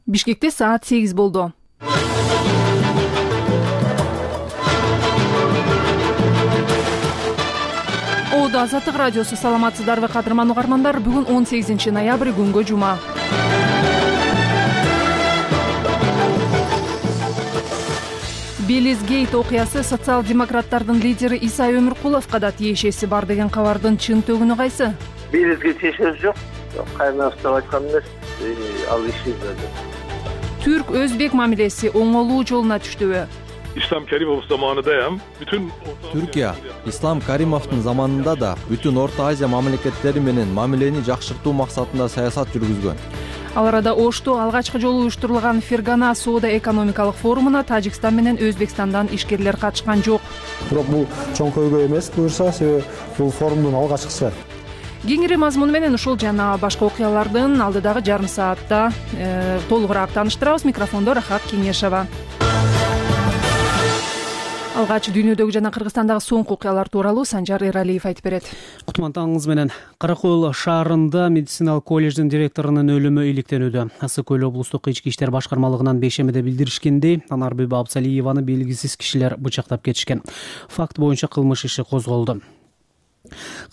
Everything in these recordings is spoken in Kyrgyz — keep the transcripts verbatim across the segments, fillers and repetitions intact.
Бишкекте саат сегиз болду. Оодо Азаттык радиосу. Саламатсыздарбы кадырман угармандар? Бүгүн он сегизинчи ноябрь, күнгө жума. Белизгейт окуясы социал-демократтардын лидери Исай Өмүркуловго да тиешеси бар деген кабардын чын төгүнү кайсы? Белизге тиешеси жок. Кайнашты айткан эмес. Ал иши Түрк-өзбек мамилеси оңолуу жолуна түштүбү? İslam Karimov zamanında ham bütün Türkiye, İslam Karimovдун заманында да бүтүн Орто Азия мамлекеттери менен мамилени жакшыртуу максатында саясат жүргүзгөн. Ал арада Ошто алгачкы жолу уюштурулган Фергана соода-экономикалык форумуна Тажикстан менен Өзбекстандан ишкерлер катышкан жок. Бирок бул чоң көйгөй эмес буюрса, себеби бул форумдун алгачкысы. Кеңири мазмуну менен ушул жана башка окуялардын алдыдагы жарым саатта э, толугураак тааныштырабыз. Микрофондо Рахат Кеңешова. Алгач дүйнөдөгү жана Кыргызстандагы соңку окуялар тууралуу Санжар Эралиев айтып берет. Кутмантаңыңыз менен. Каракөл шаарында медициналык колледждин директорунун өлүмү иликтенүүдө. Ысык Көл облустук ички иштер башкармалыгынан бейшемеде билдиришкендей, Анарбүбү Абсалиеваны белгисиз кишилер бычактап кетишкен. Факт боюнча кылмыш иши козголду.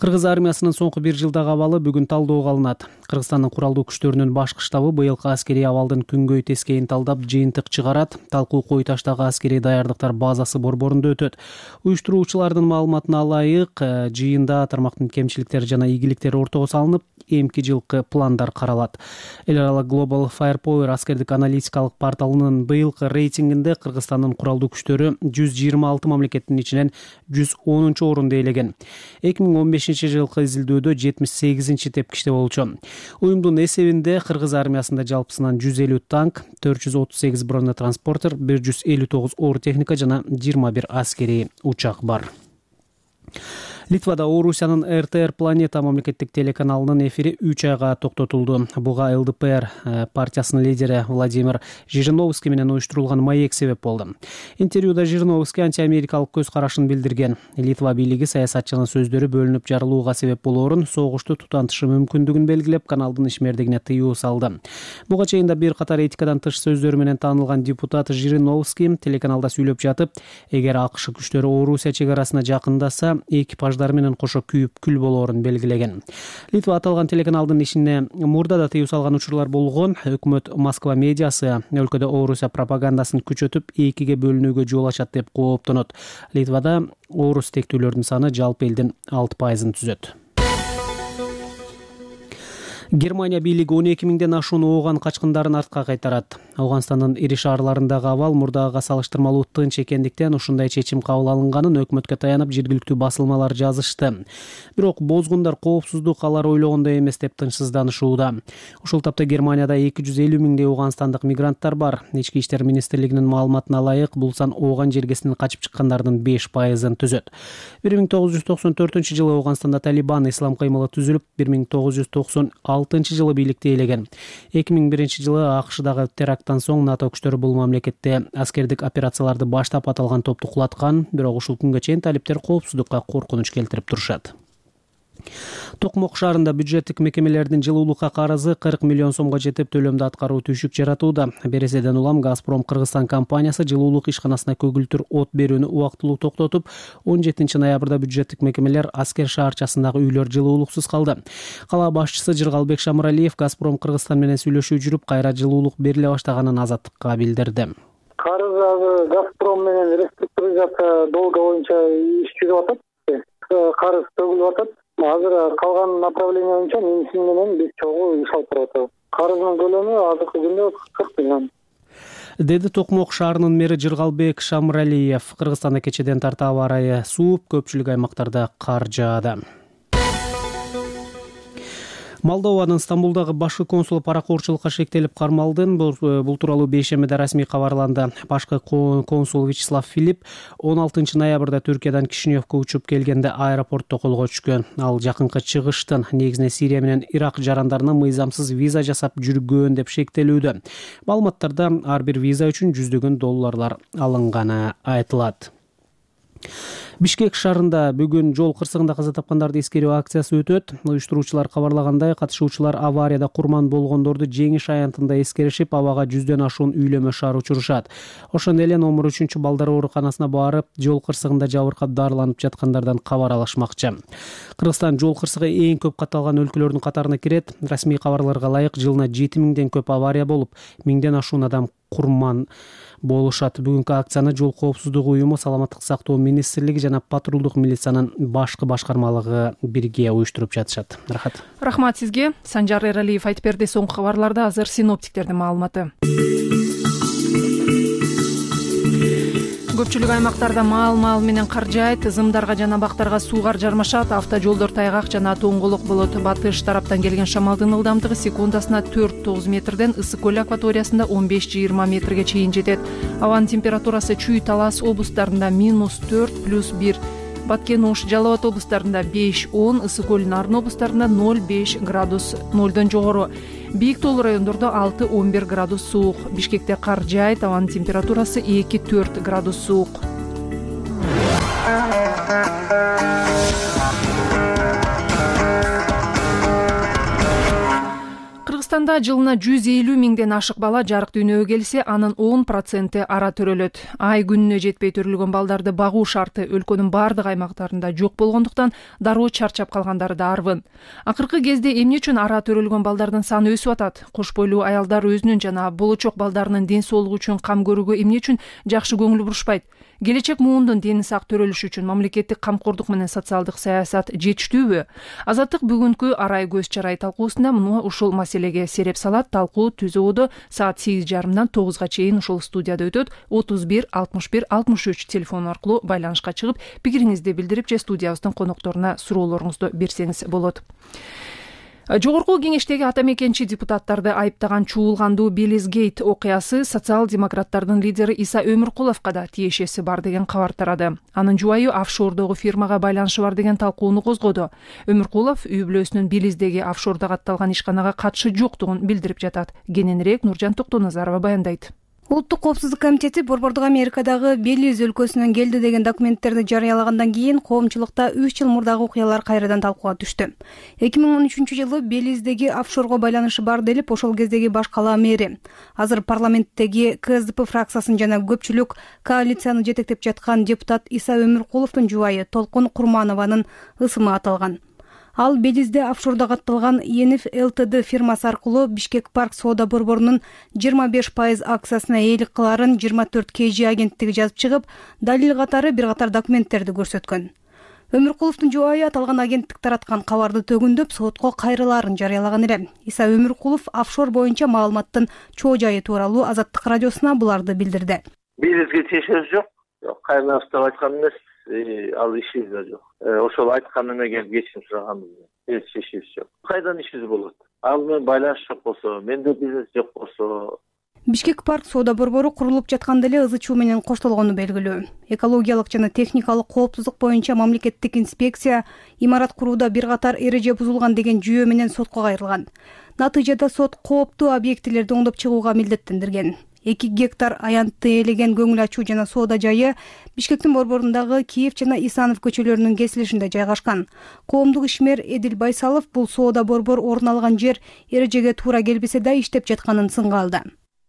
Кыргыз армиясынын соңку бир жылдагы абалы бүгүн талдоого алынат. Кыргызстандын куралдуу күчтөрүнүн башкы штабы быйылкы аскерий абалдын күнгөй тескейин талдап жыйынтык чыгарат. Талкуу Кой таштагы аскерий даярдыктар базасы борборунда өтөт. Уюштуруучулардын маалыматына ылайык, жыйында тармактын кемчиликтери жана ийгиликтери ортого салынып, эмки жылкы пландар каралат. Эл аралык Global Firepower аскердик аналитикалык порталынын быйылкы рейтингинде Кыргызстандын куралдуу күчтөрү жүз жыйырма алты мамлекеттин ичинен жүз онунчу орунду ээлеген. эки миң он бешинчи жылкы изилдөөдө жетимиш сегизинчи тепкичте болчу. Уюмдун эсебинде Кыргыз армиясында жалпысынан жүз элүү танк, төрт жүз отуз сегиз бронетранспортер, бир жүз элүү тогуз оор техника жана жыйырма бир аскерий учак бар. Литвада Орусиянын эр тэ эр Планета мамлекеттик телеканалынын эфири үч айга токтотулду. Буга эл дэ пэ эр партиясынын лидери Владимир Жириновский менен уюштурулган маек себеп болду. Интервьюда Жириновский антиамерикалык көз карашын билдирген. Литва бийлиги саясатчынын сөздөрү бөлүнүп жарылууга себеп болоорун, согушту тутантышы мүмкүндүгүн белгилеп, каналдын ишмердигине тыюу салды. Буга чейин да бир катар этикадан тыш сөздөрү менен таанылган депутат Жириновский телеканалда сүйлөп жатып, эгер АКШ күчтөрү Орусия чек арасына жакындаса, экипаж менен кошо күйүп күл болоорун белгилеген. Литва аталган телеканалдын ишине мурда да тыюу салган учурлар болгон. Өкмөт Москва медиасы өлкөдө Орусия пропагандасын күчөтүп, экиге бөлүнүүгө жол ачат деп кооптонот. Литвада орус тектүүлөрдүн саны жалпы элдин алты пайызын түзөт. Германия бийлиги он эки миңден ашуун ооган качкындарын артка кайтарат. Ауганстандын ири шаарларындагы абал мурдагыга салыштырмалуу тынч экендиктен ушундай чечим кабыл алынганын өкмөткө таянып жергиликтүү басылмалар жазышты. Бирок бозгундар коопсуздук алар ойлогондой эмес деп тынчсызданышууда. Ушул тапта Германияда эки жүз элүү миңдей ауганстандык мигранттар бар. Ички иштер министрлигинин маалыматына ылайык, бул сан ооган жергесинен качып чыккандардын беш пайызын түзөт. бир миң тогуз жүз токсон төртүнчү жылы Ауганстанда Талибан ислам кыймылы түзүлүп, бир миң тогуз жүз токсон алтынчы жылы бийликти ээлеген. эки миң биринчи жылы АКШдагы теракттан соң НАТО күчтөрү бул мамлекетте аскердик операцияларды баштап аталган топту кулаткан, бирок ушул күнгө чейин талиптер коопсуздукка коркунуч келтирип турушат. Токмок шаарында бюджеттик мекемелердин жылуулукка карызы кырк миллион сомго жетип, төлөмдү аткаруу түшүк жаратууда. Береседен улам Газпром Кыргызстан компаниясы жылуулук ишканасына көгүлтүр от берүүнү убактылуу токтотуп, он жетинчи ноябрда бюджеттик мекемелер Аскер шаарчасындагы үйлөр жылуулуксуз калды. Кала башчысы Жыргалбек Шамыралиев Газпром Кыргызстан менен сүйлөшүү жүрүп, кайра жылуулук бериле баштаганын Азаттыкка билдирди. Карыз Газпром менен реструктуризация долго боюнча иш жүрүп атат. Карыз төгүлүп атат. Азыр калган направление боюнча менсин менен биз чогуу иш алып баратабыз. Карыздын көлөмү азыркы күндө кырк миллион. Деди Токмок шаарынын мэри Жыргалбек Шамыралиев. Кыргызстанда кечеден тарта аба ырайы сууп, көпчүлүк аймактарда кар жаады. Молдованын Стамбулдагы башкы консулу паракорчулукка шектелип кармалды. Бул тууралуу бейшемеде расмий кабарланды. Башкы консул Вячеслав Филипп он алтынчы ноябрда Түркиядан Кишиневке учуп келгенде аэропортто колго түшкөн. Ал жакынкы чыгыштын негизинен Сирия менен Ирак жарандарына мыйзамсыз виза жасап жүргөн деп шектелүүдө. Маалыматтарда ар бир виза үчүн жүздөгөн долларлар алынганы айтылат. Бишкек шаарында бүгүн жол кырсыгында каза тапкандарды эскерүү акциясы өтөт. Уюштуруучулар кабарлагандай, катышуучулар аварияда курман болгондорду жеңиш аянтында эскеришип, абага жүздөн ашуун үйлөмө шаар учурушат. Ошондой эле номер үчүнчү балдар ооруканасына барып, жол кырсыгында жабыркап дарыланып жаткандардан кабар алышмакчы. Кыргызстан жол кырсыгы эң көп катталган өлкөлөрдүн катарына кирет. Расмий кабарларга ылайык, жылына жети миңден көп авария болуп, миңден ашуун адам курман болушат. Бүгүнкү акцияны Жол коопсуздугу уюму, Саламаттык сактоо министрлиги жана патрулдук милициянын башкы башкармалыгы бирге уюштуруп жатышат. Рахат. Рахмат сизге. Санжар Эралиев айтып берди. Соңку кабарларда азыр синоптиктердин маалыматы. Көпчүлүк аймактарда маал-маал менен кар жаайт, ызымдарга жана бактарга суугар жармашат, автожолдор тайгак жана тоңголук болот. Батыш тараптан келген шамалдын ылдамдыгы секундасына төрт тогуз метрден Ысык көл акваториясында он беш жыйырма метрге чейин жетет. Абанын температурасы Чүй, Талас облустарында минус төрт плюс бир, Баткен, Ош, Жалал Абад облустарында беш он, Ысык көл, Нарын облустарында ноль беш градус, нолдон жогору. Бийик тоолуу райондордо алты он бир градус суук. Бишкекте кар жаайт, абанын температурасы эки төрт градус суук. Кыргызстанда жылына жүз элүү миңден ашык бала жарык дүйнөгө келсе, анын он проценти ара төрөлөт. Ай күнүнө жетпей төрөлгөн балдарды багуу шарты өлкөнүн бардык аймактарында жок болгондуктан дароо чарчап калгандары да арбын. Акыркы кезде эмне үчүн ара төрөлгөн балдардын саны өсүп атат? Кош бойлуу аялдар өзүнүн жана болочок балдарынын ден соолугу үчүн кам көрүүгө эмне үчүн жакшы көңүл бурушпайт? Келечек муундун дени сак төрөлүшү үчүн мамлекеттик камкордук менен социалдык саясат жетиштүүбү? Азаттык бүгүнкү арай көз чарай талкуусунда муну ушул маселеге сереп салат. Талкуу түз ободо саат сегиз жарымдан тогузга чейин ушул студияда өтөт. отуз бир алтымыш бир алтымыш үч телефону аркылуу байланышка чыгып, пикириңизди билдирип же студиябыздын конокторуна суроолоруңузду берсеңиз болот. Жогорку кеңештеги ата мекенчи депутаттарды айыптаган чуулгандуу Белизгейт окуясы социал-демократтардын лидери Иса Өмүркуловго да тиешеси бар деген кабар тарады. Анын жубайы офшордогу фирмага байланышы бар деген талкууну козгоду. Өмүркулов үй бүлөсүнүн Белиздеги офшордо катталган ишканага катышы жоктугун билдирип жатат. Кененирээк Нуржан Токтоназарова баяндайт. Улуттук коопсуздук комитети Борбордук Америкадагы Белиз өлкөсүнөн келди деген документтерди жарыялагандан кийин коомчулукта үч жыл мурдагы окуялар кайрадан талкууга түштү. эки миң он үчүнчү жылы Белиздеги офшорго байланышы бар делип ошол кездеги баш кала мэри, азыр парламенттеги КСДП фракциясын жана көпчүлүк коалицияны жетектеп жаткан депутат Иса Өмүркуловдун жубайы Толкун Курманованын ысымы аталган. Ал Белизде офшордо катталган Ениф ЛТД фирмасы аркылуу Бишкек Парк соода борборунун жыйырма беш пайыз акциясына ээлик кыларын жыйырма төрт кей жи агенттиги жазып чыгып, далил катары бир катар документтерди көрсөткөн. Өмүркуловдун жубайы аталган агенттик тараткан кабарды төгүндөп сотко кайрылаарын жарыялаган эле. Иса Өмүркулов офшор боюнча маалыматтын чоо жайы тууралуу Азаттык радиосуна буларды билдирди. Белизге тиешеси жок. Кайрынан уктап айткан эмес. Ал ишибиз да жок. Ошол айткан эмеге кечирим сураганбыз. Эч ишибиз жок. Кайдан ишибиз болот? Ал менен байланыш жок болсо, менде бизнес жок болсо. Бишкек Парк соода борбору курулуп жатканда эле ызы чуу менен коштолгону белгилүү. Экологиялык жана техникалык коопсуздук боюнча мамлекеттик инспекция имарат курууда бир катар эреже бузулган деген жүйө менен сотко кайрылган. Натыйжада сот кооптуу объектилерди оңдоп чыгууга милдеттендирген. эки гектар аянтты ээлеген көңүл ачуу жана соода жайы Бишкектин борборундагы Киев жана Исанов көчөлөрүнүн кесилишинде жайгашкан. Коомдук ишмер Эдил Байсалов бул соода борбор орун алган жер эрежеге туура келбесе да иштеп жатканын сынга алды.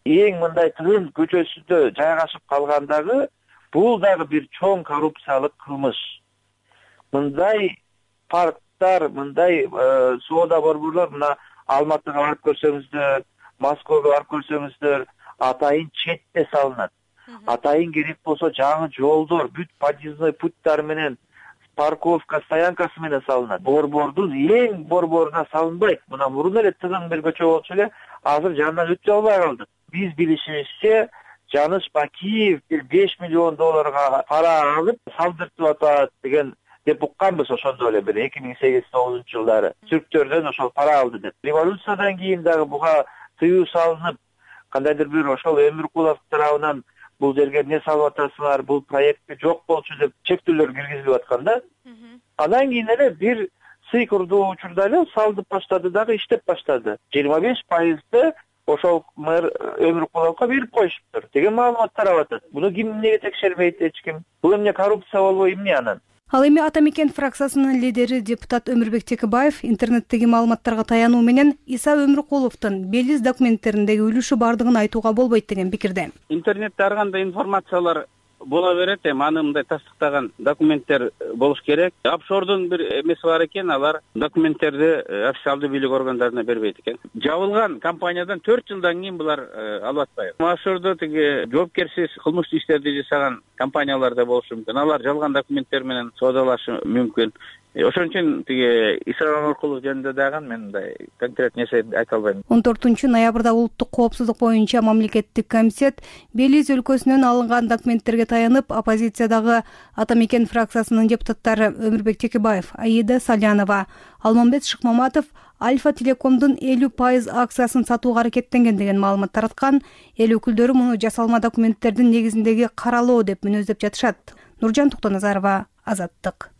Эң мындай тыгын көчөсүндө жайгашып калгандагы бул дагы бир чоң коррупциялык кылмыш. Мындай парктар, мындай соода борборлор мына Алматыга барып көрсөңүздөр, Москвага барып көрсөңүздөр, атайын четте салынат. Атайын керек болсо жаңы жолдор, бүт подъездной путтар менен парковка стоянкасы менен салынат. Борбордун эң борборуна салынбайт. Мына мурун эле тыгын бир көчө болчу эле, азыр жанынан өтө албай калдык. Биз билишибизче Жаныш Бакиев бир беш миллион долларга пара алып салдыртып атат деген деп укканбыз ошондо эле бир эки миң сегиз тогузунчу жылдары. Түрктөрдөн ошол пара алды деп. Революциядан кийин дагы буга тыюу салынып, кандайдыр бир ошол Өмүркулов тарабынан бул жерге эмне салып атасыңар, бул проектте жок болчу деп чектөөлөр киргизилип атканда, андан кийин эле бир сый курдуу учурда эле салдып баштады дагы иштеп баштады. жыйырма беш пайызды ошол мэр Өмүркуловго берип коюшуптур деген маалымат тарап атат. Буну ким эмнеге текшербейт эч ким? Бул эмне коррупция болбой эмне анан? Ал эми Ата Мекен фракциясынын лидери депутат Өмүрбек Текебаев интернеттеги маалыматтарга таянуу менен Иса Өмүркуловдун Белиз документтериндеги үлүшү бардыгын айтууга болбойт деген пикирде. Интернетте ар кандай информациялар бола берет, эми аны мындай тастыктаган документтер болуш керек. Офшордун бир эмеси бар экен, алар документтерди официалдуу бийлик органдарына бербейт экен. Жабылган компаниядан төрт жылдан кийин булар алып атпайбы. Офшордо тиги жоопкерсиз кылмыштуу иштерди жасаган компаниялар да болушу мүмкүн. Алар жалган документтер менен соодалашы мүмкүн. Ошон үчүн тиги Иса Өмүркулов жөнүндө дагы мен мындай конкрет нерсе айта албайм. он төртүнчү ноябрда улуттук коопсуздук боюнча мамлекеттик комитет Белиз өлкөсүнөн алынган документтерге таянып, оппозициядагы Ата Мекен фракциясынын депутаттары Өмүрбек Текебаев, Аида Салянова, Алмамбет Шыкмаматов Альфа Телекомдун элүү пайыз акциясын сатууга аракеттенген деген маалымат тараткан. Эл өкүлдөрү муну жасалма документтердин негизиндеги каралоо деп мүнөздөп жатышат. Нуржан Токтоназарова, Азаттык.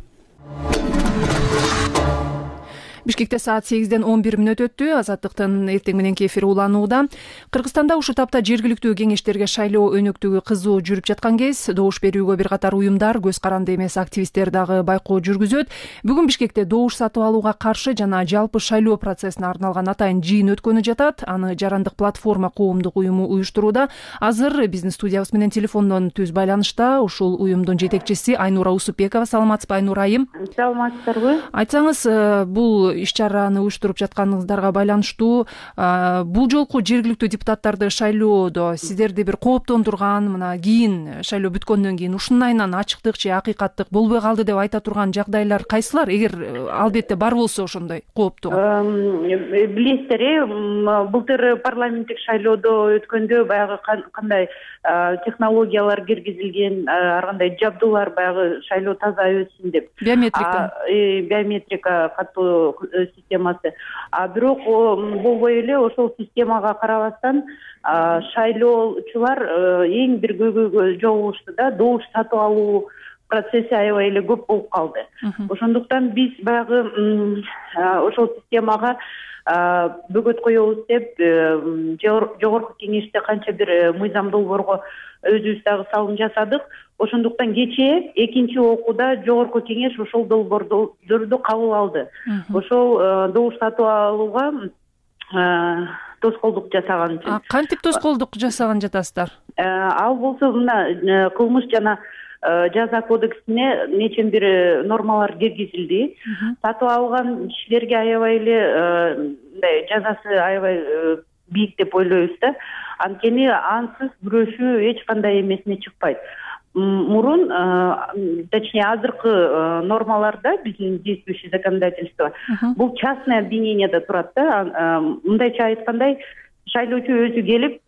Бишкекте саат сегизден он бир мүнөт өттү. Азаттыктын эртең мененки эфири уланууда. Кыргызстанда ушул тапта жергиликтүү кеңештерге шайлоо өнөктүгү кызуу жүрүп жаткан кез добуш берүүгө бир катар уюмдар, көз каранды эмес активисттер дагы байкоо жүргүзөт. Бүгүн Бишкекте добуш сатып алууга каршы жана жалпы шайлоо процессине арналган атайын жыйын өткөнү жатат. Аны Жарандык платформа коомдук уюму уюштурууда. Азыр биздин студиябыз менен телефондон түз байланышта ушул уюмдун жетекчиси Айнура Усупбекова. Саламатсызбы, Айнура айым? Саламатсыздарбы? Айтсаңыз, бул иш-чараны уюштуруп жатканыңыздарга байланыштуу бул жолку жергиликтүү депутаттарды шайлоодо сиздерди бир кооптондурган, мына кийин шайлоо бүткөндөн кийин ушунун айынан ачыктык же акыйкаттык болбой калды деп айта турган жагдайлар кайсылар, эгер албетте бар болсо ошондой кооптуу? Билесиздер, э былтыр парламенттик шайлоодо өткөндө баягы кандай технологиялар киргизилген, ар кандай жабдуулар баягы шайлоо таза өтсүн деп. Биометрика. Биометрика катуу системасы. А бирок болбой эле ошол системага карабастан шайлоочулар эң бир көйгөйгө жолугушту да, добуш сатып алуу процесси аябай эле көп болуп калды. Ошондуктан биз баягы ошол системага бөгөт коебуз деп жогорку кеңеште канча бир мыйзам долбоорго өзүбүз дагы салым жасадык. Ошондуктан кечээ экинчи окууда жогорку кеңеш ошол долбоорду кабыл алды. Ошол добуш сатып алууга тоскоолдук жасаган үчүн. Кантип тоскоолдук жасаган жатасыздар? Ал болсо мына кылмыш жана жаза кодексине нечен бир нормалар киргизилди. Сатып алган кишилерге аябай эле мындай жазасы аябай бийик деп ойлойбуз да. Анткени ансыз күрөшүү эч кандай эмесине чыкпайт. Мурун, точнее, азыркы нормаларда биздин действующий законодательство бул частное обвинениеде турат да. Мындайча айткандай, шайлоочу өзү келип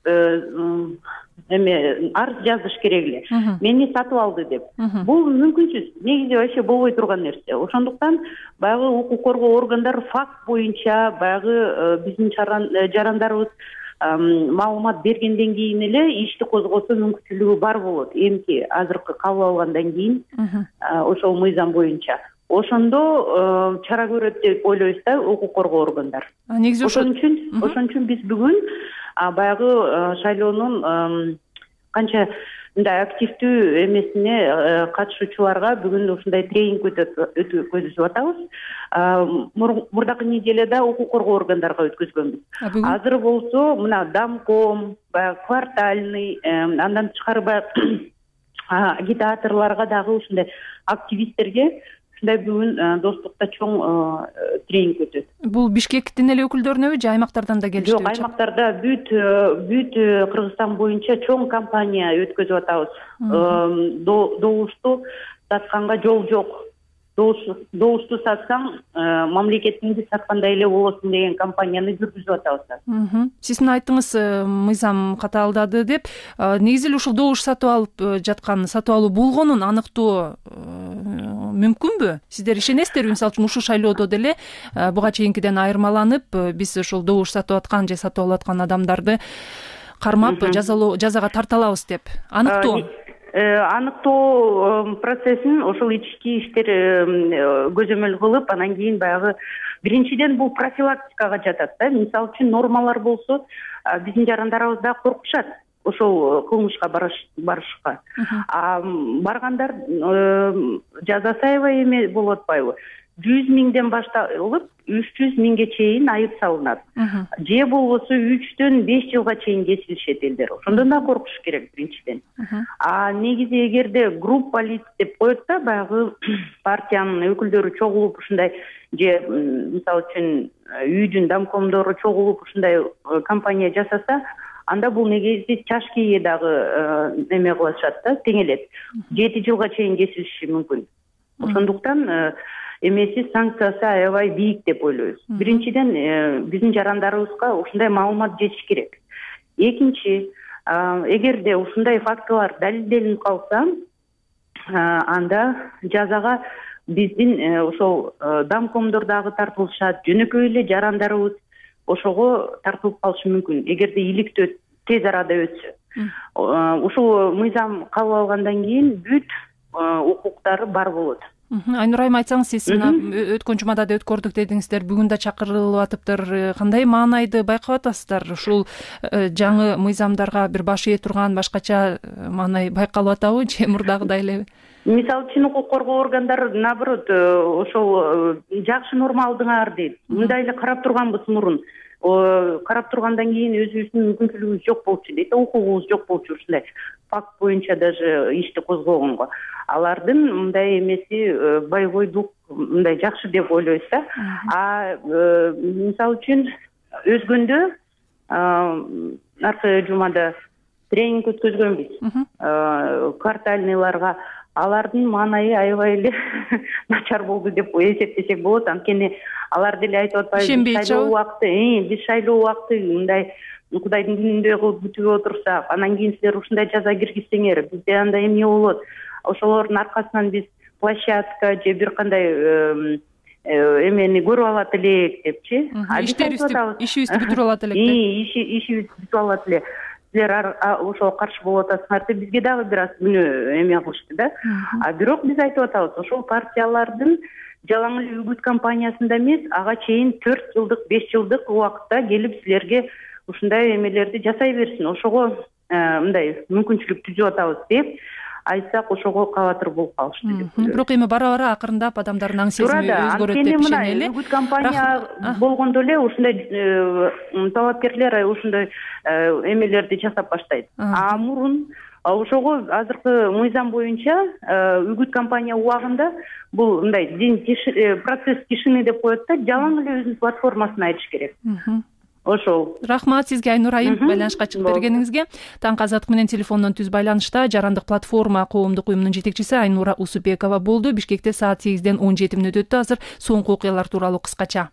эме арыз жазыш керек эле. Мени сатып алды деп. Бул мүмкүнсүз, негизи вообще болбой турган нерсе. Ошондуктан баягы укук коргоо органдары факт боюнча баягы биздин жарандарыбыз маалымат бергенден кийин эле ишти козгосо мүмкүнчүлүгү бар болот. Эмки азыркы кабыл алгандан кийин ошол мыйзам боюнча. Ошондо чара көрөт деп ойлойбуз да укук коргоо органдар. Негизи ошон үчүн ошон үчүн биз бүгүн баягы шайлоонун канча мындай активдүү эмесине катышуучуларга бүгүн ушундай тренинг өткөзүп атабыз. Мурдакы неделяда укук коргоо органдарга өткөзгөнбүз. Азыр болсо мына Дамком, баягы квартальный, андан тышкары баягы агитаторлорго дагы ушундай активисттерге ушундай бүгүн достукта чоң тренинг өтөт. Бул Бишкектин эле өкүлдөрүнөбү же аймактардан да келишти? Жок, аймактарда бүт бүт Кыргызстан боюнча чоң кампания өткөзүп атабыз. Добушту сатканга жол жок. Добушту сатсаң, мамлекетиңди саткандай эле болосуң деген кампанияны жүргүзүп атабыз. Сиз мына айттыңыз, мыйзам катаалдады деп. Негизи ушул добуш сатып алып жаткан, сатып алуу болгонун аныктоо мүмкүнбү? Сиздер ишенесиздерби? Мисалы үчүн ушул шайлоодо деле буга чейинкиден айырмаланып, биз ушул добуш сатып аткан же сатып алып аткан адамдарды кармап жазага тарта алабыз деп. Аныктоо? аныктоо процессин ошол ички иштер көзөмөл кылып, анан кийин баягы биринчиден бул профилактикага жатат да. Мисалы үчүн нормалар болсо, биздин жарандарыбыз да коркушат ошол кылмышка барышка. А баргандар жазасы аябай эме болуп атпайбы? жүз миңден башталып үч жүз миңге чейин айып салынат. Же болбосо үчтөн беш жылга чейин кесилишет элдер. Ошондон да коркуш керек биринчиден. А негизи эгерде группа лиц деп коет да, баягы партиянын өкүлдөрү чогулуп ушундай, же мисалы үчүн үйдүн домкомдору чогулуп ушундай компания жасаса, анда бул негизи чашкиге дагы эме кылышат да, теңелет. жети жылга чейин кесилиши мүмкүн. Ошондуктан эмеси санкциясы аябай бийик деп ойлойбуз. Биринчиден биздин жарандарыбызга ушундай маалымат жетиш керек. Экинчи, эгерде ушундай фактылар далилделинип калса, анда жазага биздин ошол домкомдор дагы тартылышат, жөнөкөй эле жарандарыбыз ошого тартылып калышы мүмкүн, эгерде иликтөө тез арада өтсө. Ушул мыйзам кабыл алгандан кийин бүт укуктары бар болот. Айнура айым, айтсаңыз, сиз мына өткөн жумада да өткөрдүк дедиңиздер, бүгүн да чакырылып атыптыр. Кандай маанайды байкап атасыздар? Ушул жаңы мыйзамдарга бир баш ээ турган башкача маанай байкалып атабы, же мурдагыдай элеби? Мисалы үчүн укук коргоо органдары наоборот ошол жакшы норма алдыңар дейт. Мындай эле карап турганбыз мурун. Карап тургандан кийин өзүбүздүн мүмкүнчүлүгүбүз жок болчу дейт, укугубуз жок болчу ушундай факт боюнча даже ишти козгогонго. Алардын мындай эмеси бойдук мындай жакшы деп ойлойбуз да. А мисалы үчүн өзгөндө аркы жумада тренинг өткөзгөнбүз квартальныйларга. Алардын маанайы аябай эле начар болду деп эсептесек болот. Анткени алар деле айтып атпайбы, шайлоо убакыты, биз шайлоо убакыты мындай Кудайдын күнүндөй кылып күтүп отурсак, анан кийин силер ушундай жаза киргизсеңер, бизде андай эмне болот. Ошолордун аркасынан биз площадка же бир кандай эмени көрүп алат элек депчи. Ишибизди бүтүрүп алат элек. Ишибизди бүтүп алат эле. Силер ошого каршы болуп атасыңар деп бизге дагы бир аз күнөө эме кылышты да. А бирок биз айтып атабыз, ошол партиялардын жалаң эле үгүт кампаниясында эмес, ага чейин төрт жылдык, беш жылдык убакытта келип силерге ушундай эмелерди жасай берсин. Ошого мындай мүмкүнчүлүк түзүп атабыз деп айтсак, ошого кабатыр болуп калышты деп ойлойм. Бирок эми бара-бара акырындап адамдардын аң сезими өзгөрөт деп ишенели. Үгүт кампания болгондо эле ушундай талапкерлер ушундай эмелерди жасап баштайт. А мурун ошого азыркы мыйзам боюнча үгүт кампания убагында бул мындай процесс тишины деп коет да, жалаң эле өзүнүн платформасын айтыш керек. Ошол. Рахмат сизге, Айнура айым, байланышка чыгып бергениңизге. Таңкы азаттык менен телефондон түз байланышта жарандык платформа коомдук уюмунун жетекчиси Айнура Усупбекова болду. Бишкекте саат сегизден он жети мүнөт өттү. Азыр соңку окуялар тууралуу кыскача.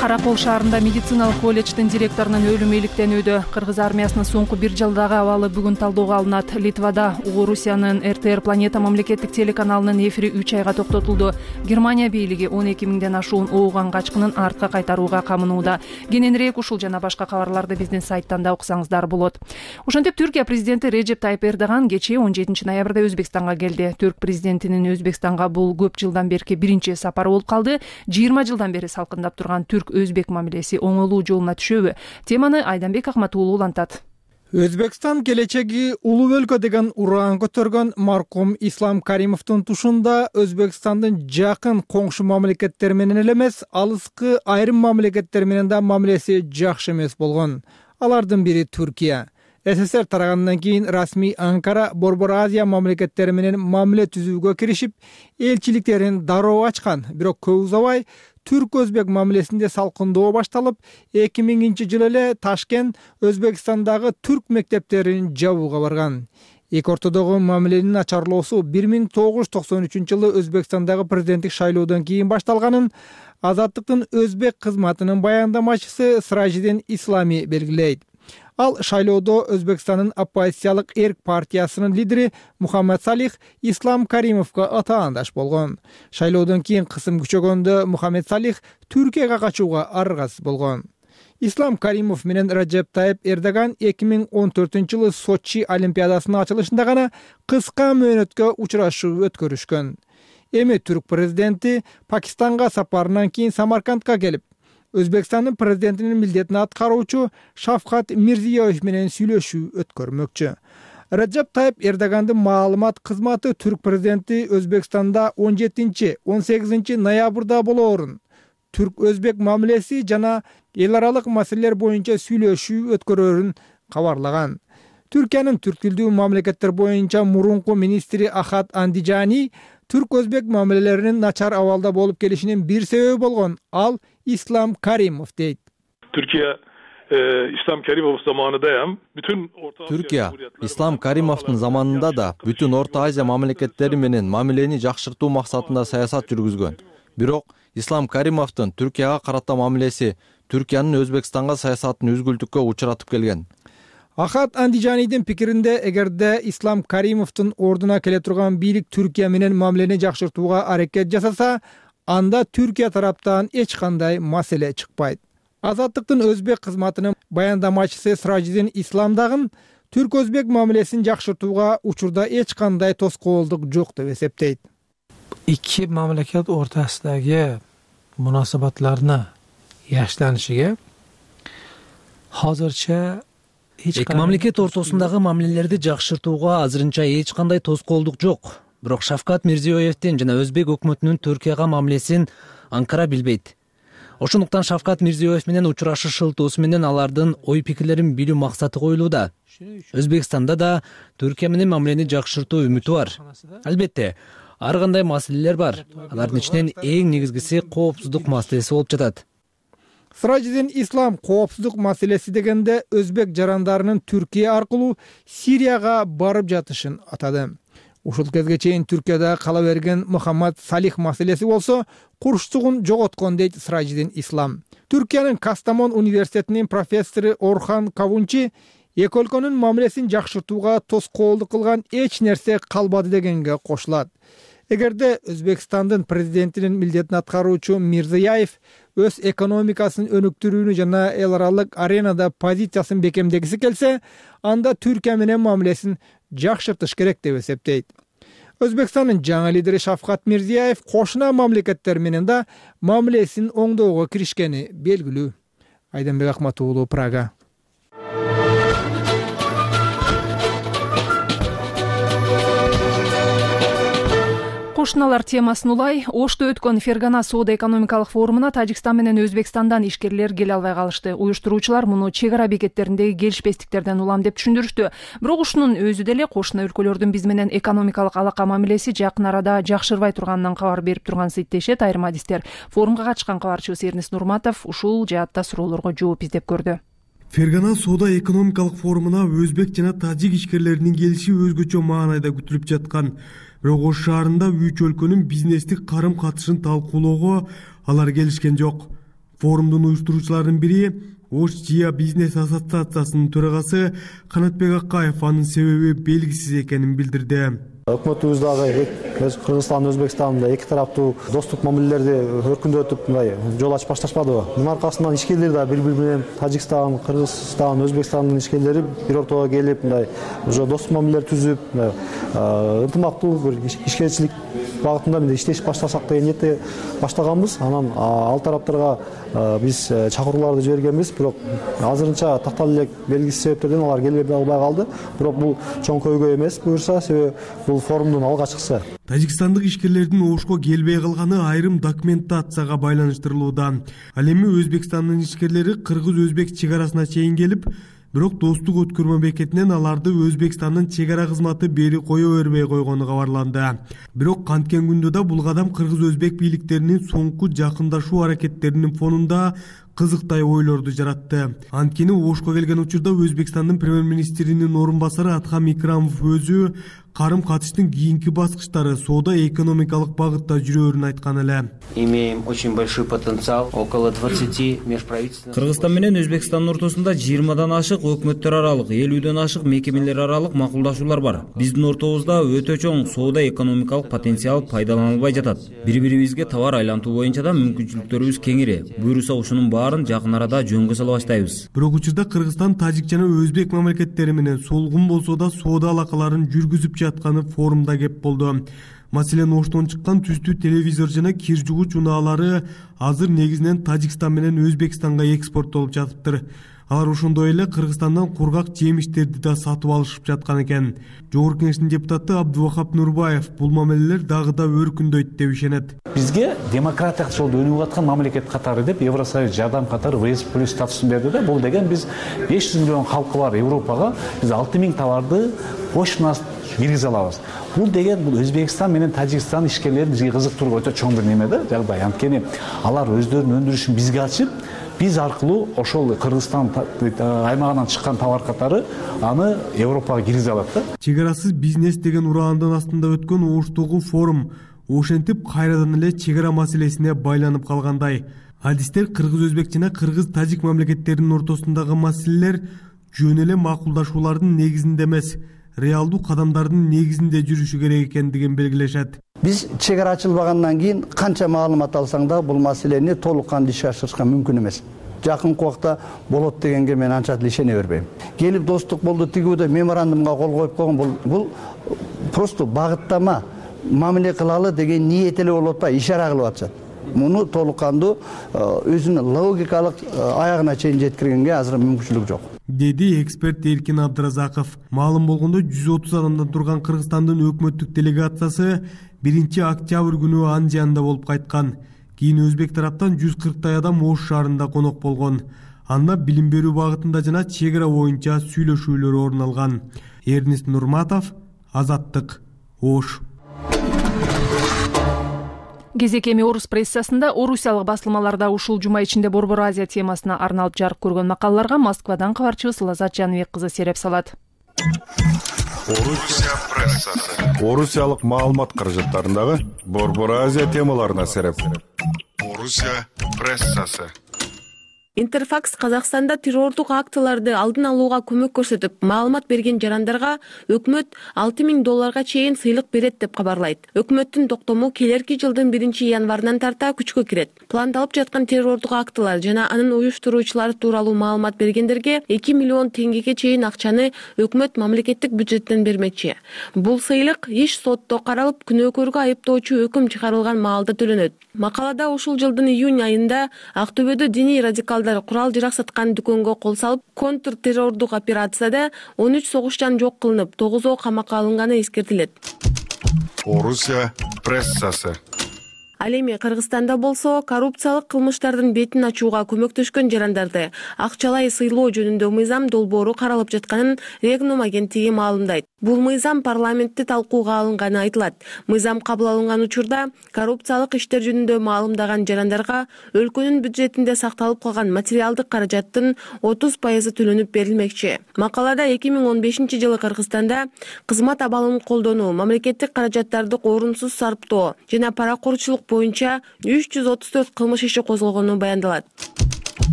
Каракол шаарында медициналык колледждин директорунун өлүмү иликтенүүдө. Кыргыз армиясынын соңку бир жылдагы абалы бүгүн талоого алынат. Литвада Угу Русиянын эр тэ эр Планета мамлекеттик телеканалынын эфири үч айга токтотулду. Германия бийлиги он эки миңден ашуун ооган качкынын артка кайтарууга камынууда. Кененирээк ушул жана башка кабарларды биздин сайттан да окусаңыздар болот. Ошентип Түркия президенти Реджеп Тайып Эрдоган кечээ он жетинчи ноябрда Өзбекстанга келди. Түрк президентинин Өзбекстанга бул көп жылдан берки биринчи сапары болуп калды. жыйырма жылдан бери салкындап турган түрк өзбек мамилеси оңолуу жолуна түшөбү? Теманы Айданбек Акматуулу улантат. Өзбекстан келечеги улуу өлкө деген ураан көтөргөн маркум Ислам Каримовдун тушунда Өзбекстандын жакын коңшу мамлекеттер менен эле эмес, алыскы айрым мамлекеттер менен да мамилеси жакшы эмес болгон. Алардын бири Түркия. эс эс эр тарагандан кийин расмий Анкара Борбор Азия мамлекеттери менен мамиле түзүүгө киришип, элчиликтерин дароо ачкан. Бирок көп узабай түрк-өзбек мамилесинде салкындоо башталып, эки миңинчи жылы эле Ташкент Өзбекстандагы түрк мектептерин жабууга барган. Эки ортодогу мамиленин начарлоосу бир миң тогуз жүз токсон үчүнчү жылы Өзбекстандагы президенттик шайлоодон кийин башталганын Азаттыктын өзбек кызматынын баяндамачысы Сражидин Ислами белгилейт. Ал шайлоодо Өзбекстандын оппозициялык эрк партиясынын лидери Мухаммед Салих Ислам Каримовго атаандаш болгон. Шайлоодон кийин кысым күчөгөндө Мухаммед Салих Түркияга качууга аргасыз болгон. Ислам Каримов менен Раджеп Тайип Эрдоган эки миң он төртүнчү жылы Сочи Олимпиадасынын ачылышында гана кыска мөөнөткө учурашуу өткөрүшкөн. Эми түрк президенти Пакистанга сапарынан кийин Самаркандка келип, Өзбекстандын президентинин милдетин аткаруучу Шавкат Мирзиёев менен сүйлөшүү өткөрмөкчү. Раджеп Тайип Эрдогандын маалымат кызматы түрк президенти Өзбекстанда он жетинчи он сегизинчи ноябрда болоорун, түрк-өзбек мамилеси жана эл аралык маселелер боюнча сүйлөшүү өткөрөрүн кабарлаган. Түркиянын түрк тилдүү мамлекеттер боюнча мурунку министри Ахат Андижани түрк-өзбек мамилелеринин начар абалда болуп келишинин бир себеби болгон ал Ислам Каримов дейт. Türkiye e, İslam Karimov zamanındayım. Bütün Orta Türkiye İslam Karimovдун заманында да бүтүн Орто Азия мамлекеттери менен мамилени жакшыртуу максатында саясат жүргүзгөн. Бирок Ислам Каримовдун Түркияга карата мамилеси Түркиянын Өзбекстанга саясатын үзгүлтүккө учуратып келген. Ахат Андижанидин пикиринде, эгерде Ислам Каримовдун ордуна келе турган бийлик Түркия менен мамилени жакшыртууга аракет жасаса, анда Түркия тараптан эч кандай маселе чыкпайт. Азаттыктын өзбек кызматынын баяндамачысы Сражидин Ислам дагы түрк-өзбек мамилесин жакшыртууга учурда эч кандай тоскоолдук жок деп эсептейт. Iki mamlakat o'rtasidagi munosabatlarni yaxshilanishiga hozircha эки мамлекет ортосундагы мамилелерди жакшыртууга азырынча эч кандай тоскоолдук жок. Бирок Шавкат Мирзиёевдин жана өзбек өкмөтүнүн Түркияга мамилесин Анкара билбейт. Ошондуктан Шавкат Мирзиёев менен учурашышылтуусу менен алардын ой пикирлерин билүү максаты коюлууда. Өзбекстанда да Түркия менен мамилени жакшыртуу үмүтү бар. Албетте, ар кандай маселелер бар. Алардын ичинен эң негизгиси коопсуздук маселеси болуп жатат. Сражидин Ислам коопсуздук маселеси дегенде өзбек жарандарынын Түркия аркылуу Сирияга барып жатышын атады. Ушул кезге чейин Түркияда кала берген Мухаммад Салих маселеси болсо курчтугун жоготкон дейт Сражидин Ислам. Түркиянын Кастамон университетинин профессору Орхан Кавунчи эки өлкөнүн мамилесин жакшыртууга тоскоолдук кылган эч нерсе калбады дегенге кошулат. Эгерде Өзбекстандын президентинин милдетин аткаруучу Мирзияев өз экономикасын өнүктүрүүнү жана эл аралык аренада позициясын бекемдегиси келсе, анда Түркия менен мамилесин жакшыртыш керек деп эсептейт. Өзбекстандын жаңы лидери Шавкат Мирзияев кошуна мамлекеттер менен да мамилесин оңдоого киришкени белгилүү. Айданбек Акмат уулу, Прага. Кошуналар темасын улай, Ошто өткөн Фергана соода экономикалык форумуна Тажикстан менен Өзбекстандан ишкерлер келе албай калышты. Уюштуруучулар муну чек ара бекеттериндеги келишпестиктерден улам деп түшүндүрүштү. Бирок ушунун өзү деле кошуна өлкөлөрдүн биз менен экономикалык алака мамилеси жакын арада жакшырбай турганынан кабар берип турганын дешет айрым адистер. Форумга катышкан кабарчыбыз Эрнис Нурматов ушул жаатта суроолорго жооп издеп көрдү. Фергана соода экономикалык форумуна өзбек жана тажик ишкерлеринин келиши өзгөчө маанайда күтүлүп жаткан. Бирок Ош шаарында үч өлкөнүн бизнестик карым катышын талкуулоого алар келишкен жок. Форумдун уюштуруучуларынын бири Ош Жия бизнес ассоциациясынын төрагасы Канатбек Акаев анын себеби белгисиз экенин билдирди. Өкмөтүбүз дагы Кыргызстан, Өзбекстанда эки тараптуу достук мамилелерди өркүндөтүп мындай жол ачып башташпадыбы? Мунун аркасынан ишкерлер да бири-бири менен Тажикстан, Кыргызстан, Өзбекстандын ишкерлери бир ортого келип, мындай уже достук мамилелер түзүп, ынтымактуу бир ишкерчилик багытында мындай иштеш баштасак деген ниетте баштаганбыз. Анан ал тараптарга биз чакырууларды жибергенбиз, бирок азырынча такталып элек белгисиз себептерден алар келе албай калды. Бирок бул чоң көйгөй эмес буюрса, себеби бул форумдун алгачкысы. Тажикстандык ишкерлердин Ошко келбей калганы айрым документацияга байланыштырылууда. Ал эми Өзбекстандын ишкерлери кыргыз-өзбек чек арасына чейин келип, бирок достук өткөрмө бекетинен аларды Өзбекстандын чек ара кызматы бери кое бербей койгону кабарланды. Бирок канткен күндө да бул кадам кыргыз-өзбек бийликтеринин соңку жакындашуу аракеттеринин фонунда кызыктай ойлорду жаратты. Анткени Ошко келген учурда Өзбекстандын премьер-министринин орун басары Атхам Икрамов өзү карым катыштын кийинки баскычтары соода экономикалык багытта жүрөөрүн айткан эле. Имеем очень большой потенциал, около двадцати межправительственных. Кыргызстан менен Өзбекстандын ортосунда жыйырмадан ашык өкмөттөр аралык, элүүдөн ашык мекемелер аралык макулдашуулар бар. Биздин ортобузда өтө чоң соода экономикалык потенциал пайдаланылбай жатат. Бири-бирибизге товар айлантуу боюнча да мүмкүнчүлүктөрүбүз кеңири. Буюрса ушунун баарын жакын арада жөнгө сала баштайбыз. Бирок учурда Кыргызстан, Тажик жана Өзбек мамлекеттери менен солгун болсо да соода алакаларын жүргүзүп жатканы форумда кеп болду. Маселен, Оштон чыккан түстүү телевизор жана кир жуугуч унаалары азыр негизинен Тажикстан менен Өзбекстанга экспорттолуп жатыптыр. Алар ошондой эле Кыргызстандан кургак жемиштерди да сатып алышып жаткан экен. Жогорку Кеңештин депутаты Абдувахап Нурбаев бул мамилелер дагы да өркүндөйт деп ишенет. Бизге демократиялык жолдо өнүгүп аткан мамлекет катары деп Евросоюз жардам катары вэ эс плюс статусун берди да. Бул деген биз беш жүз миллион халкы бар Европага биз алты миң товарды кошуна киргизе алабыз. Бул деген бул Өзбекстан менен Тажикстан ишкерлерин бизге кызыктыруу өтө чоң бир неме да, жагдай. Анткени алар өздөрүнүн өндүрүшүн бизге ачып, биз аркылуу ошол Кыргызстан аймагынан чыккан товар катары аны Европага киргизе алат да. Чек арасыз бизнес деген ураандын астында өткөн Оштогу форум ошентип кайрадан эле чек ара маселесине байланып калгандай. Адистер кыргыз-өзбек жана кыргыз-тажик мамлекеттеринин ортосундагы маселелер жөн эле макулдашуулардын негизинде эмес, реалдуу кадамдардын негизинде жүрүшү керек экендигин белгилешет. Биз чек ара ачылбагандан кийин канча маалымат алсаң да бул маселени толук кандуу ишке ашырышка мүмкүн эмес. Жакынкы убакта болот дегенге мен анча деле ишене бербейм. Келип достук болду, тигүүдө меморандумга кол коюп койгон, бул бул просто багыттама, мамиле кылалы деген ниет эле болуп атпайбы, ишара кылып атышат. Муну толук кандуу өзүнүн логикалык аягына чейин жеткиргенге азыр мүмкүнчүлүк жок, деди эксперт Эркин Абдыразаков. Маалым болгондой, жүз отуз адамдан турган Кыргызстандын өкмөттүк делегациясы биринчи октябрь күнү Анжеанда болуп кайткан. Кийин Өзбек тараптан жүз кырктай адам Ош шаарында конок болгон. Анда билим берүү багытында жана чек ара боюнча сүйлөшүүлөр орун алган. Эрнест Нурматов, Азаттык, Ош. Кезек эми орус прессасында орусиялык басылмаларда ушул жума ичинде Борбор Азия темасына арналып жарык көргөн макалаларга Москвадан кабарчыбыз Лазат Жаныбек кызы сереп салат. Орусия прессасы. Орусиялык маалымат каражаттарындагы Борбор Азия темаларына сереп. Орусия прессасы. Интерфакс Казакстанда террордук актыларды алдын алууга көмөк көрсөтүп, маалымат берген жарандарга өкмөт алты миң долларга чейин сыйлык берет деп кабарлайт. Өкмөттүн токтому келерки жылдын биринчи январынан тарта күчкө кирет. Пландалып жаткан террордук актылар жана анын уюштуруучулары тууралуу маалымат бергендерге эки миллион теңгеге чейин акчаны өкмөт мамлекеттик бюджеттен бермекчи. Бул сыйлык иш сотто каралып, күнөөкөргө айыптоочу өкүм чыгарылган маалда төлөнөт. Макалада ушул жылдын июнь айында Актөбөдө диний радикалдар курал жарак саткан дүкөнгө кол салып, контр террордук операцияда он үч согушчан жок кылынып, тогузоо камакка алынганы эскертилет. Орусия прессасы. Ал эми Кыргызстанда болсо коррупциялык кылмыштардын бетин ачууга көмөктөшкөн жарандарды акчалай сыйлоо жөнүндө мыйзам долбоору каралып жатканын Регнум агенттиги маалымдайт. Бул мыйзам парламентте талкууга алынганы айтылат. Мыйзам кабыл алынган учурда коррупциялык иштер жөнүндө маалымдаган жарандарга өлкөнүн бюджетинде сакталып калган материалдык каражаттын отуз пайызы төлөнүп берилмекчи. Макалада эки миң он бешинчи жылы Кыргызстанда кызмат абалын колдонуу, мамлекеттик каражаттарды орунсуз сарптоо жана паракорчулук боюнча үч жүз отуз төрт кылмыш иши козголгону баяндалат.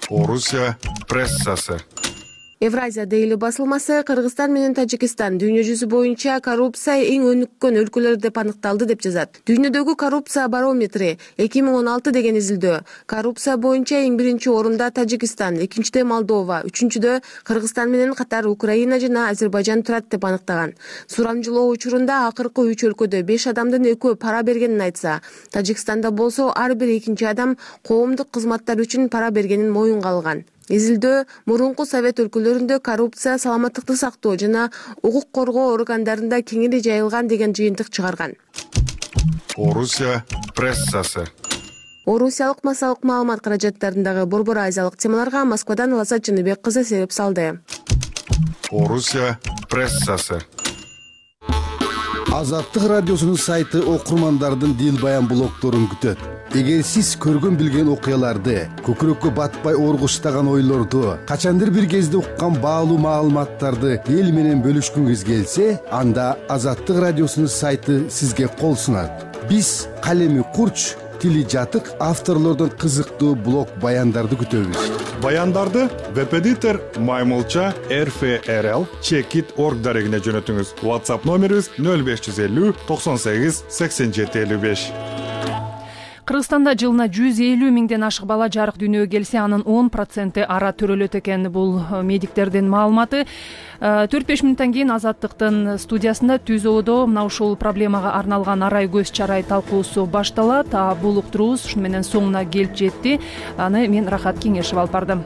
Орусия прессасы. Евразия Дейли басылмасы Кыргызстан менен Тажикстан дүйнө жүзү боюнча коррупция эң өнүккөн өлкөлөр деп аныкталды деп жазат. Дүйнөдөгү коррупция барометри эки миң он алты деген изилдөө. Коррупция боюнча эң биринчи орунда Тажикстан, экинчиде Молдова, үчүнчүдө Кыргызстан менен катар Украина жана Азербайжан турат деп аныктаган. Сурамжылоо учурунда акыркы үч өлкөдө беш адамдын экөө пара бергенин айтса, Тажикстанда болсо ар бир экинчи адам коомдук кызматтар үчүн пара бергенин моюнга алган. Изилдөө мурунку совет өлкөлөрүндө коррупция саламаттыкты сактоо жана укук коргоо органдарында кеңири жайылган деген жыйынтык чыгарган. Орусия прессасы. Орусиялык массалык маалымат каражаттарындагы Борбор Азиялык темаларга Москвадан Лазат Жаныбек кызы сереп салды. Орусия прессасы. Азаттык радиосунун сайты окурмандардын дил баян блогдорун күтөт. эгер сиз көргөн билген окуяларды, көкүрөккө батпай ооргуштаган ойлорду, качандыр бир кезде уккан баалуу маалыматтарды эл менен бөлүшкүңүз келсе, анда Азаттык радиосунун сайты сизге кол сунат. Биз калеми курч, тили жатык авторлордун кызыктуу блог баяндарды күтөбүз. Баяндарды веб-эдитор Маймылча эр эф эр эл чекит точка орг дарегине жөнөтүңүз. WhatsApp номерибиз нөл беш жүз элүү токсон сегиз сексен жети элүү беш. Кыргызстанда жылына жүз элүү миңден ашык бала жарык дүйнөгө келсе, анын он проценти ара төрөлөт экен. Бул медиктердин маалыматы. төрт беш мүнөттөн кийин Азаттыктын студиясында түз оодо мына ушул проблемага арналган арай көз чарай талкуусу башталат. А бул уктуруубуз ушуну менен соңуна келип жетти. Аны мен Рахат Кеңешев алып бардым.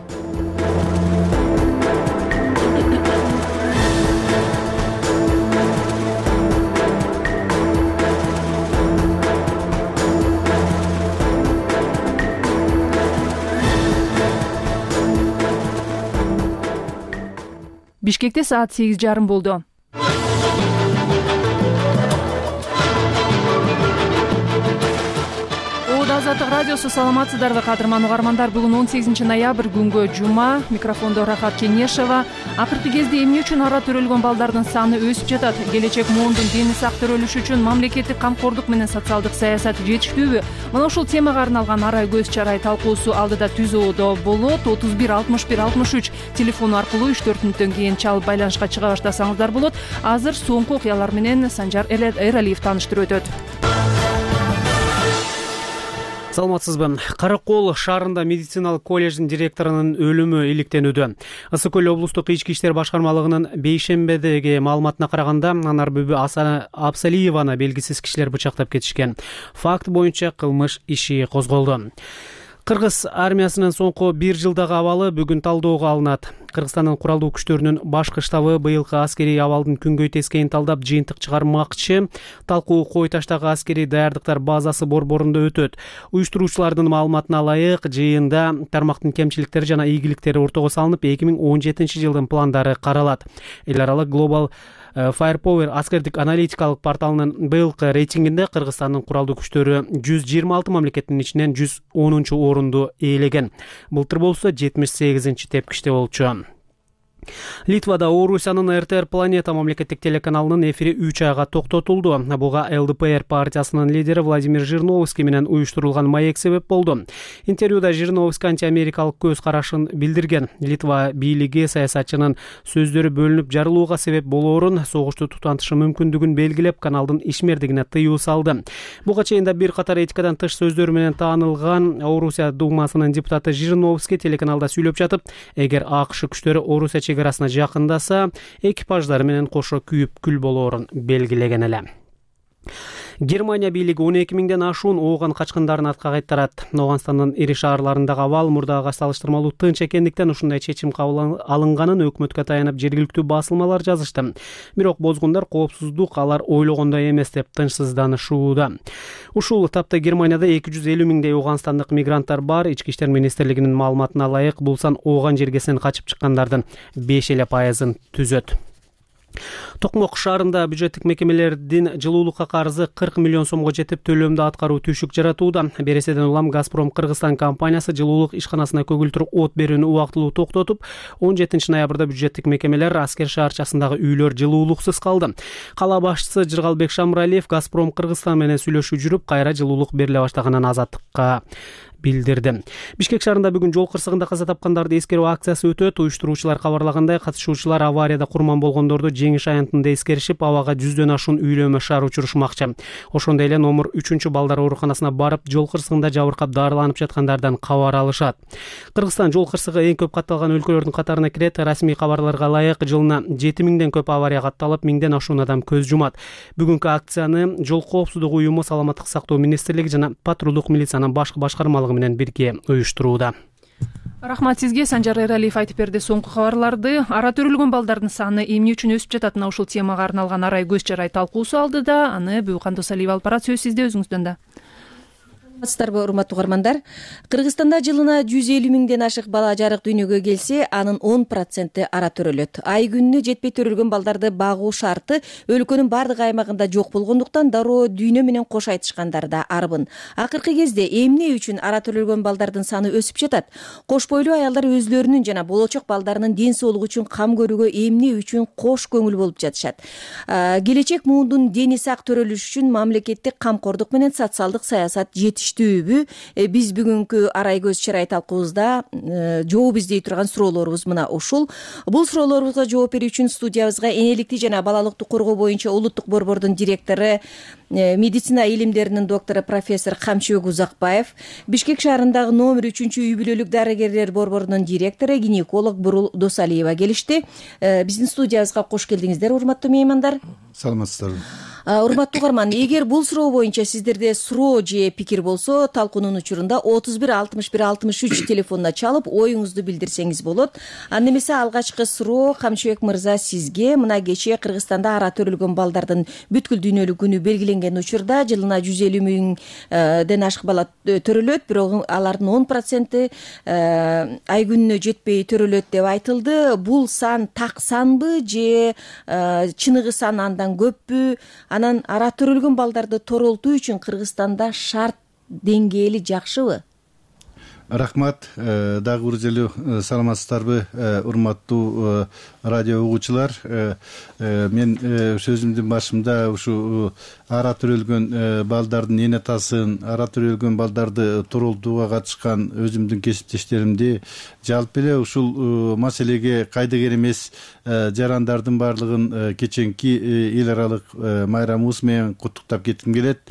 Бишкекте саат сегиз жарым болду. Азаттык радиосу, саламатсыздарбы кадырман угармандар? Бүгүн он сегизинчи ноябрь, күнгө жума. Микрофондо Рахат Кеңешева. Акыркы кезде эмне үчүн ара төрөлгөн балдардын саны өсүп жатат? Келечек муундун дени сак төрөлүшү үчүн мамлекеттик камкордук менен социалдык саясат жетиштүүбү? Мына ушул темага арналган арай көз чарай талкуусу алдыда түз оодо болот. отуз бир алтымыш бир алтымыш үч телефону аркылуу үч төрт мүнөттөн кийин чалып байланышка чыга баштасаңыздар болот. Азыр соңку окуялар менен Санжар Эралиев тааныштырып өтөт. Саламатсызбы. Каракол шаарында медициналык колледждин директорунун өлүмү иликтенүүдө. Ысык көл облустук ички иштер башкармалыгынын бейшембедеги маалыматына караганда, Анар Бүбү Абсалиеваны белгисиз кишилер бычактап кетишкен. Факт боюнча кылмыш иши козголду. Кыргыз армиясынын соңку бир жылдагы абалы бүгүн талдоого алынат. Кыргызстандын куралдуу күчтөрүнүн башкы штабы быйылкы аскерий абалдын күнгөй тескейин талдап жыйынтык чыгармакчы. Талкуу Кой таштагы аскерий даярдыктар базасы борборунда өтөт. Уюштуруучулардын маалыматына ылайык, жыйында тармактын кемчиликтери жана ийгиликтери ортого салынып, эки миң он жетинчи жылдын пландары каралат. Эл аралык Global Firepower аскердик аналитикалык порталынын быйылкы рейтингинде Кыргызстандын куралдуу күчтөрү жүз жыйырма алты мамлекеттин ичинен жүз онунчу орунду ээлеген. Былтыр болсо жетимиш сегизинчи тепкичте болчу. Литвада Орусиянын эр тэ эр Планета мамлекеттик телеканалынын эфири үч айга токтотулду. Буга эл дэ пэ эр партиясынын лидери Владимир Жириновский менен уюштурулган маек себеп болду. Интервьюда Жириновский антиамерикалык көз карашын билдирген. Литва бийлиги саясатчынын сөздөрү бөлүнүп жарылууга себеп болоорун, согушту тутантышы мүмкүндүгүн белгилеп, каналдын ишмердигине тыюу салды. Буга чейин да бир катар этикадан тыш сөздөрү менен таанылган Орусия думасынын депутаты Жириновский телеканалда сүйлөп жатып, эгер АКШ күчтөрү Орусия чегарасына жакындаса, экипаждары менен кошо күйүп күл болоорун белгилеген эле. Германия бийлиги он эки миңден ашуун ооган качкындарын артка кайтарат. Ооганстандын ири шаарларындагы абал мурдагыга салыштырмалуу тынч экендиктен ушундай чечим кабыл алынганын өкмөткө таянып жергиликтүү басылмалар жазышты. Бирок бозгундар коопсуздук алар ойлогондой эмес деп тынчсызданышууда. Ушул тапта Германияда эки жүз элүү миңдей ооганстандык мигранттар бар. Ички иштер министрлигинин маалыматына ылайык, бул сан ооган жергесинен качып чыккандардын беш эле пайызын түзөт. Токмок шаарында бюджеттик мекемелердин жылуулукка карызы кырк миллион сомго жетип, төлөмдү аткаруу түшүк жаратууда. Береседен улам Газпром Кыргызстан компаниясы жылуулук ишканасына көгүлтүр от берүүнү убактылуу токтотуп, он жетинчи ноябрда бюджеттик мекемелер Аскер шаарчасындагы үйлөр жылуулуксуз калды. Кала башчысы Жыргалбек Шамралиев Газпром Кыргызстан менен сүйлөшүү жүрүп, кайра жылуулук бериле баштаганын Азаттыкка билдирди. Бишкек шаарында бүгүн жол кырсыгында каза тапкандарды эскерүү акциясы өтөт. Уюштуруучулар кабарлагандай, катышуучулар аварияда курман болгондорду жеңиш аянтында эскеришип, абага жүздөн ашуун үйлөмө шаар учурушмакчы. Ошондой эле номер үчүнчү балдар ооруканасына барып, жол кырсыгында жабыркап дарыланып жаткандардан кабар алышат. Кыргызстан жол кырсыгы эң көп катталган өлкөлөрдүн катарына кирет. Расмий кабарларга ылайык, жылына жети миңден көп авария катталып, миңден ашуун адам көз жумат. Бүгүнкү акцияны жол коопсуздугу уюму, Саламаттык сактоо министрлиги жана патрулдук милициянын башкы башкармалыгы менен бирге уюштурууда. Рахмат сизге. Санжар Эралиев айтып берди соңку кабарларды. Ара төрөлгөн балдардын саны эмне үчүн өсүп жатат? Мына ушул темага арналган арай көз чарай талкуусу алдыда. Аны Бүкан Досалиев алып барат. Сөз сизде, өзүңүздөн да. саламатсыздарбы урматтуу угармандар? Кыргызстанда жылына жүз элүү миңден ашык бала жарык дүйнөгө келсе, анын он проценти ара төрөлөт. Ай күнүнө жетпей төрөлгөн балдарды багуу шарты өлкөнүн бардык аймагында жок болгондуктан дароо дүйнө менен кош айтышкандар да арбын. Акыркы кезде эмне үчүн ара төрөлгөн балдардын саны өсүп жатат? Кош бойлуу аялдар өзлөрүнүн жана болочок балдарынын ден соолугу үчүн кам көрүүгө эмне үчүн кош көңүл болуп жатышат? Келечек муундун дени сак төрөлүшү үчүн мамлекеттик камкордук менен социалдык саясат жетиштүүбү? Биз бүгүнкү арай көз чырай талкуубузда жооп издей турган суроолорубуз мына ушул. Бул суроолорубузга жооп берүү үчүн студиябызга энеликти жана балалыктык коргоо боюнча улуттук борбордун директору, медицина илимдеринин доктору профессор Камчыбек Узакбаев, Бишкек шаарындагы номер үчүнчү үй бүлөлүк дарыгерлер борборунун директору, гинеколог Бурул Досалиева келишти. Биздин студиябызга кош келдиңиздер, урматтуу меймандар. Саламатсыздарбы. Урматтуу угарман, эгер бул суроо боюнча сиздерде суроо же пикир болсо, талкуунун учурунда отуз бир алтымыш бир алтымыш үч телефонуна чалып оюңузду билдирсеңиз болот. Анда эмесе алгачкы суроо Камчыбек мырза сизге. Мына кечээ Кыргызстанда ара төрөлгөн балдардын бүткүл дүйнөлүк күнү белгиленген учурда жылына жүз элүү миңден ашык бала төрөлөт, бирок алардын он проценти ай күнүнө жетпей төрөлөт деп айтылды. Бул сан так санбы же чыныгы сан андан көппү? Анан ара төрөлгөн балдарды торолтуу үчүн Кыргызстанда шарт деңгээли жакшыбы? Рахмат. Дагы бир жолу саламатсыздарбы, урматтуу радио угуучулар. Мен сөзүмдүн башында ушу ара төрөлгөн балдардын эне атасын, ара төрөлгөн балдарды торолтууга катышкан өзүмдүн кесиптештеримди, жалпы эле ушул маселеге кайдыгер эмес жарандардын баардыгын кеченки эл аралык майрамыбыз менен куттуктап кетким келет.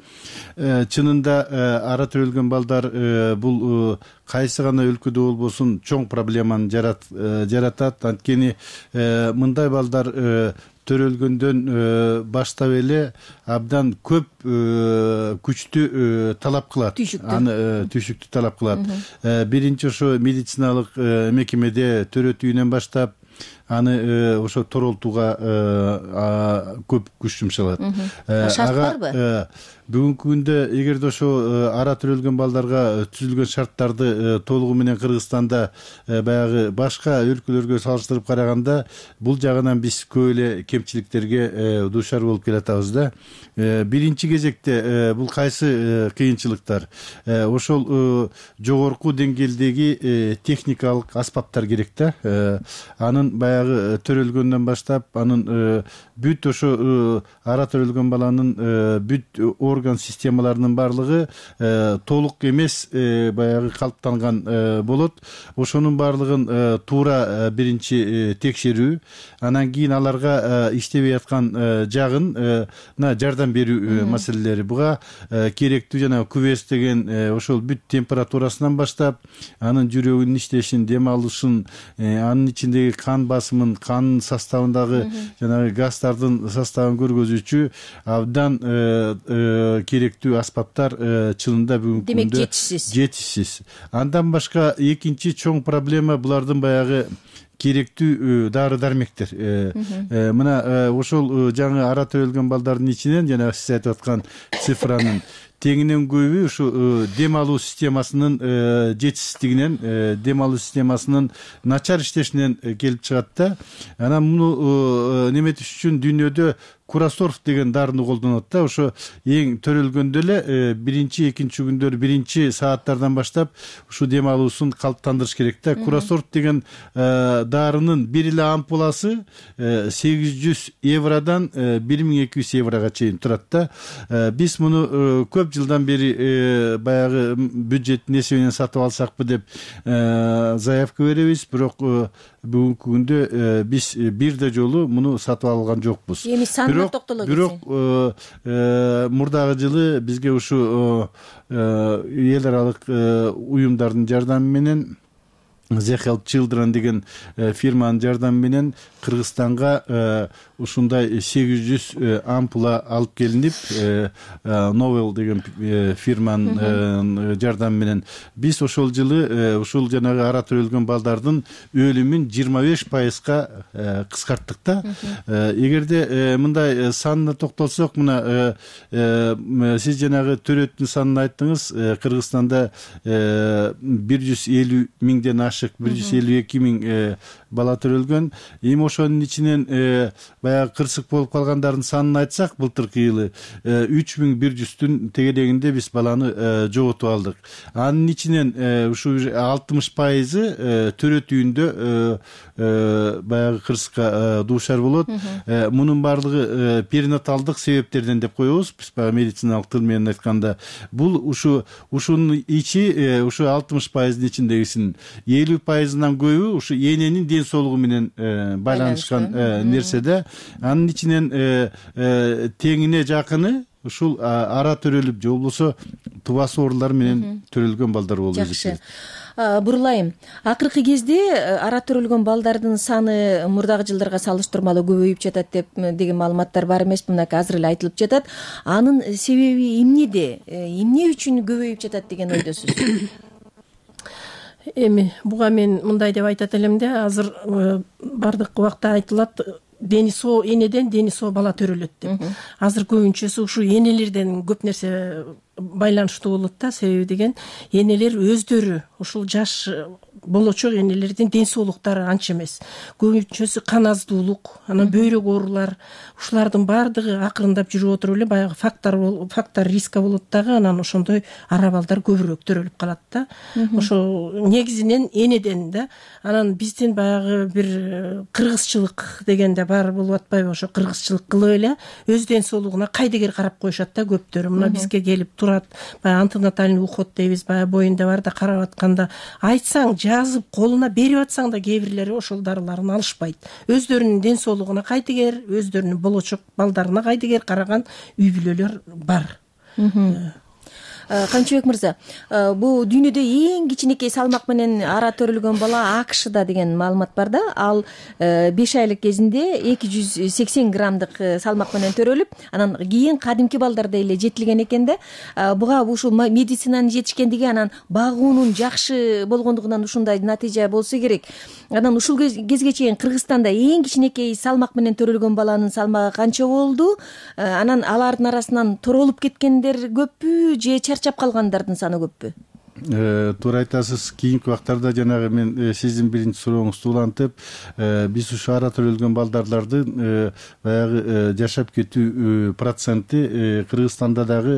Чынында ара төрөлгөн балдар бул кайсы гана өлкөдө болбосун чоң проблеманы жаратат. Анткени мындай балдар төрөлгөндөн баштап эле абдан көп күчтү талап кылат. Аны түйшүктү талап кылат. Биринчи ошо медициналык мекемеде төрөтүүнөн баштап аны ошо торолтууга көп күч жумшалат. Шарт барбы? Бүгүнкү күндө эгерде ошо ара төрөлгөн балдарга түзүлгөн шарттарды толугу менен Кыргызстанда баягы башка өлкөлөргө салыштырып караганда бул жагынан биз көп эле кемчиликтерге дуушар болуп келатабыз да. Биринчи кезекте бул кайсы кыйынчылыктар? Ошол жогорку деңгээлдеги техникалык аспаптар керек да. Анын баягы төрөлгөндөн баштап анын бүт ошо ара төрөлгөн баланын бүт орган системаларынын баардыгы толук эмес баягы калыптанган болот. Ошонун баардыгын туура биринчи текшерүү, анан кийин аларга иштебей аткан жагына жардам берүү маселелери. Буга керектүү жана күбөс деген ошол бүт температурасынан баштап анын жүрөгүнүн иштешин, дем алышын, анын ичиндеги кан басымын, кан составындагы жанагы газдардын составын көргөзүүчү абдан керектүү аспаптар чынында бүгүнкү күндө жетишсиз. Жетишсиз. Андан башка экинчи чоң проблема булардын баягы керектүү дары дармектер. Мына ошол жаңы ара төрөлгөн балдардын ичинен жана сиз айтып аткан цифранын теңинен көбү ушу дем алуу системасынын жетишсиздигинен, дем алуу системасынын начар иштешинен келип чыгат да. Анан муну неметиш үчүн дүйнөдө Курасорф деген дарыны колдонот да. Ошо эң төрөлгөндө эле биринчи, экинчи күндөр, биринчи сааттардан баштап ушу дем алуусун калыптандырыш керек да. Курасорф деген дарынын бир эле ампуласы сегиз жүз евродан бир миң эки жүз еврого чейин турат да. Биз муну көп жылдан бери баягы бюджеттин эсебинен сатып алсакпы деп заявка беребиз, бирок бүгүнкү күндө биз бирде жолу муну сатып алган жокпуз. Эми санына токтоло кетсең. Бирок мурдагы жылы бизге ушу эл аралык уюмдардын жардамы менен The Help Children деген фирманын жардамы менен Кыргызстанга ушундай сегиз жүз ампула алып келинип, Novel деген фирманын жардамы менен биз ошол жылы ушул жанагы ара төрөлгөн балдардын өлүмүн жыйырма беш пайызга кыскарттык да. Эгерде мындай санына токтолсок, мына сиз жанагы төрөттүн санын айттыңыз. Кыргызстанда бир жүз элүү миңден ашык, бир жүз элүү эки миң бала төрөлгөн. Эми ошонун ичинен баягы кырсык болуп калгандардын санын айтсак, былтыркы жылы үч миң бир жүздүн тегерегинде биз баланы жоготуп алдык. Анын ичинен ушу алтымыш пайызы төрөт үйүндө баягы кырсыкка дуушар болот. Мунун баардыгы перинаталдык себептерден деп коебуз. Биз баягы медициналык тил менен айтканда, бул ушу ушунун ичи ушу алтымыш пайыздын ичиндегисинин элүү пайызынан көбү ушу эненин ден соолугу менен байланышкан нерседе. Анын ичинен теңине жакыны ушул ара төрөлүп же болбосо тубасы оорулар менен төрөлгөн балдар болуп эсептелет. Жакшы. Бурулайым. Акыркы кезде ара төрөлгөн балдардын саны мурдагы жылдарга салыштырмалуу көбөйүп жатат деп деген маалыматтар бар эмеспи? Мынакей азыр эле айтылып жатат. Анын себеби эмнеде? Эмне үчүн көбөйүп жатат деген ойдосуз? Эми буга мен мындай деп айтат элем да, азыр бардык убакта айтылат, дени соо энеден дени соо бала төрөлөт деп. Азыр көбүнчөсү ушу энелерден көп нерсе байланыштуу болот да. Себеби деген энелер өздөрү ушул жаш болочок энелердин ден соолуктары анча эмес. Көбүнчөсү кан аздуулук, анан бөйрөк оорулар, ушулардын баардыгы акырындап жүрүп отуруп эле баягы фактор фактор риска болот дагы. Анан ошондой ара балдар көбүрөөк төрөлүп калат да. Ошо негизинен энеден да. Анан биздин баягы бир кыргызчылык дегенде бар болуп атпайбы? Ошо кыргызчылык кылып эле өз ден соолугуна кайдыгер карап коюшат да көптөрү. Мына бизге келип турат, баягы антенатальный уход дейбиз, баягы боюнда бар да карап атканда айтсаң, жазып колуна берип атсаң да кээ бирлери ошол дарыларын алышпайт. Өздөрүнүн ден соолугуна кайдыгер, өздөрүнүн болочок балдарына кайдыгер караган үй бүлөлөр бар. Канчыбек мырза, бул дүйнөдө эң кичинекей салмак менен ара төрөлгөн бала АКШда деген маалымат бар да. Ал беш айлык кезинде эки жүз сексен граммдык салмак менен төрөлүп, анан кийин кадимки балдарда эле жетилген экен да. Буга ушул медицинанын жетишкендиги, анан багуунун жакшы болгондугунан ушундай натыйжа болсо керек. Анан ушул кезге чейин Кыргызстанда эң кичинекей салмак менен төрөлгөн баланын салмагы канча болду? Анан алардын арасынан торолуп кеткендер көппү же чарчап калгандардын саны көппү? Туура айтасыз. Кийинки убактарда жанагы мен сиздин биринчи сурооңузду улантып, биз ушу ара төрөлгөн балдардын баягы жашап кетүү проценти Кыргызстанда дагы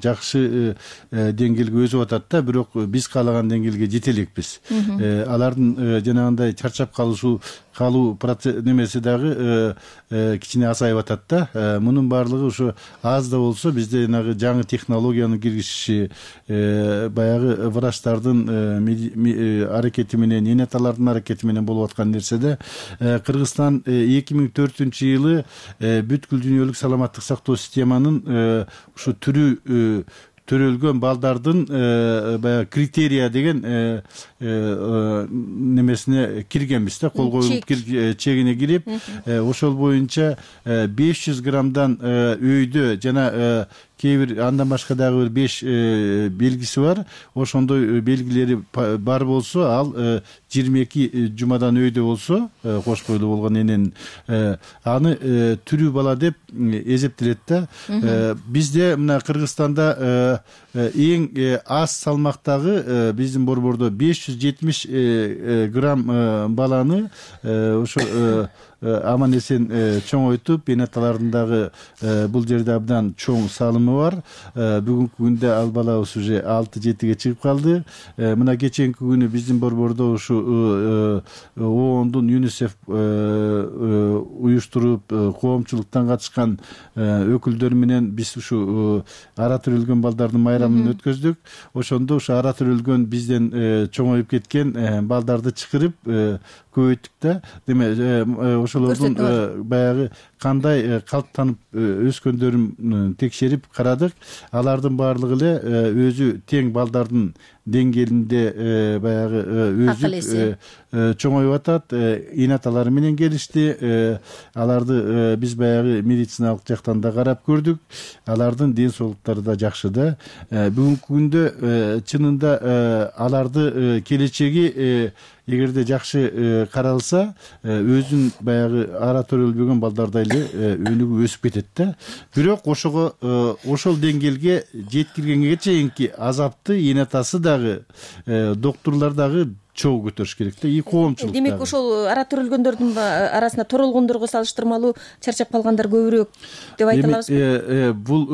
жакшы деңгээлге өсүп атат да, бирок биз каалаган деңгээлге жете элекпиз. Алардын жанагындай чарчап калышуу калуу немеси дагы кичине азайып атат да. Мунун баардыгы ушу аз да болсо бизде жанагы жаңы технологиянын киргизиши, баягы врачтардын аракети менен, энеталардын аракети менен болуп аткан нерседе. Кыргызстан эки миң төртүнчү жылы бүткүл дүйнөлүк саламаттык сактоо системанын ушу түрү төрөлгөн балдардын баягы критерия деген немесине киргенбиз да, кол коюлуп чегине кирип, ошол боюнча беш жүз граммдан өйдө жана кээ бир андан башка дагы бир беш белгиси бар. Ошондой белгилери бар болсо, ал жыйырма эки жумадан өйдө болсо, кош бойлуу болгон эненин, аны түрүү бала деп эсептелет да. Бизде мына Кыргызстанда эң аз салмактагы биздин борбордо беш жүз жетимиш грамм баланы ошо аман эсен чоңойтуп, энеталардын дагы бул жерде абдан чоң салымы бар. Бүгүнкү күндө ал балабыз уже алты жетиге чыгып калды. Мына кеченки күнү биздин борбордо ушу оондун ЮНИСЕФ уюштуруп, коомчулуктан катышкан өкүлдөр менен биз ушу ара төрөлгөн балдардын майрамын өткөздүк. Ошондо ушу ара төрөлгөн бизден чоңоюп кеткен балдарды чакырып көбөйттүк да. Демек ошолордун баягы кандай калыптанып өскөндөрүн текшерип карадык. Алардын баардыгы эле өзү тең балдардын деңгээлинде баягы өзү чоңоюп атат. Эне аталары менен келишти. Аларды биз баягы медициналык жактан да карап көрдүк. Алардын ден соолуктары да жакшы да. Бүгүнкү күндө чынында аларды келечеги эгерде жакшы каралса, өзүн баягы ара төрөлбөгөн балдардай эле өнүгүп өсүп кетет да. Бирок ошого ошол деңгээлге жеткиргенге чейинки азапты эне атасы дагы, доктурлар дагы чогуу көтөрүш керек да, и коомчулук. Демек ошол ара төрөлгөндөрдүн арасында торолгондорго салыштырмалуу чарчап калгандар көбүрөөк деп айта алабызбы? Бул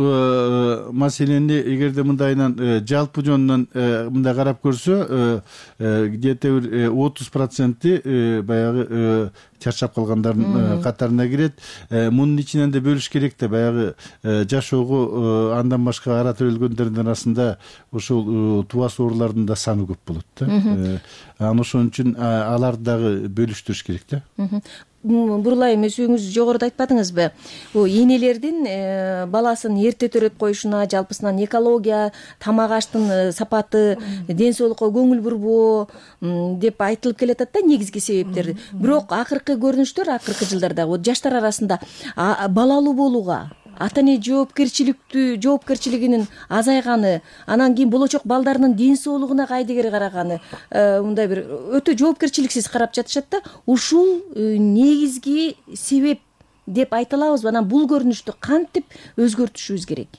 маселени эгерде мындайынан жалпы жөнүнөн мындай карап көрсө, где-то бир отуз проценти баягы чарчап калгандардын катарына кирет. Мунун ичинен да бөлүш керек да, баягы жашоого андан башка ара төрөлгөндөрдүн арасында ошол тубас оорулардын да саны көп болот да. Анан ошон үчүн аларды дагы бөлүштүрүш керек да. Бурулайым, өзүңүз жогоруда айтпадыңызбы? Бул энелердин баласын эрте төрөп коюшуна, жалпысынан экология, тамак аштын сапаты, ден соолукка көңүл бурбоо деп айтылып келатат да, негизги себептер. Бирок акыркы көрүнүштөр, акыркы жылдарда жаштар арасында балалуу болууга ата эне жоопкерчиликтүү жоопкерчилигинин азайганы, анан кийин болочок балдарынын ден соолугуна кайдыгер караганы, мындай бир өтө жоопкерчиликсиз карап жатышат да. Ушул негизги себеп деп айта алабызбы? Анан бул көрүнүштү кантип өзгөртүшүбүз керек?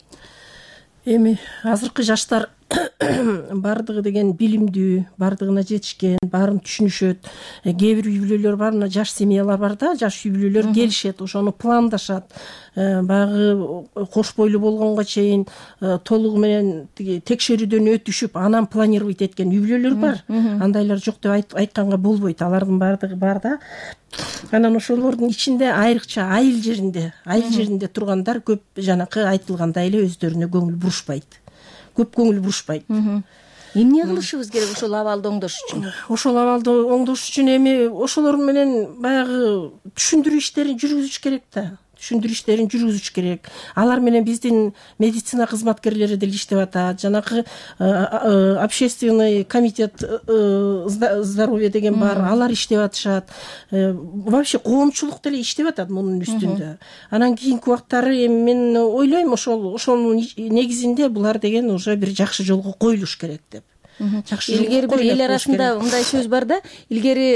Эми азыркы жаштар бардыгы деген билимдүү, бардыгына жетишкен, баарын түшүнүшөт. Кээ бир үй бүлөлөр бар, мына жаш семьялар бар да, жаш үй бүлөлөр келишет, ошону пландашат. Баягы кош бойлуу болгонго чейин толугу менен текшерүүдөн өтүшүп, анан планировать эткен үй бүлөлөр бар. Андайлар жок деп айтканга болбойт. Алардын бардыгы бар да. Анан ошолордун ичинде айрыкча айыл жеринде, айыл жеринде тургандар көп жанакы айтылгандай эле өздөрүнө көңүл бурушпайт. Көп көңүл бурушпайт. Эмне кылышыбыз керек ошол абалды оңдош үчүн? Ошол абалды оңдош үчүн эми ошолор менен баягы түшүндүрүү иштерин жүргүзүш керек да. Түшүндүрүү иштерин жүргүзүш керек. Алар менен биздин медицина кызматкерлери деле иштеп атат. Жанакы общественный комитет здоровья деген бар, алар иштеп атышат. Вообще коомчулук деле иштеп атат мунун үстүндө. Анан кийинки убактары эми мен ойлойм, ошол ошонун негизинде булар деген уже бир жакшы жолго коюлуш керек деп. Илгери бир эл арасында мындай сөз бар да, илгери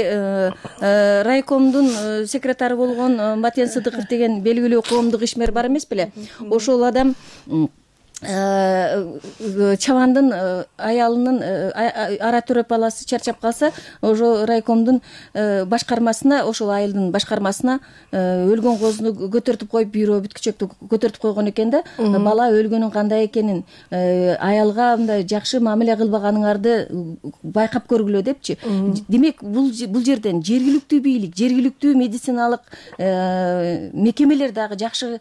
райкомдун секретары болгон Батен Сыдыков деген белгилүү коомдук ишмер бар эмес беле? Ошол адам чабандын аялынын ара төрөп баласы чарчап калса, ошо райкомдун башкармасына, ошол айылдын башкармасына өлгөн козуну көтөртүп коюп, бирөө бүткүчөктү көтөртүп койгон экен да. Бала өлгөнүн кандай экенин, аялга мындай жакшы мамиле кылбаганыңарды байкап көргүлө депчи. Демек, бул бул жерден жергиликтүү бийлик, жергиликтүү медициналык мекемелер дагы жакшы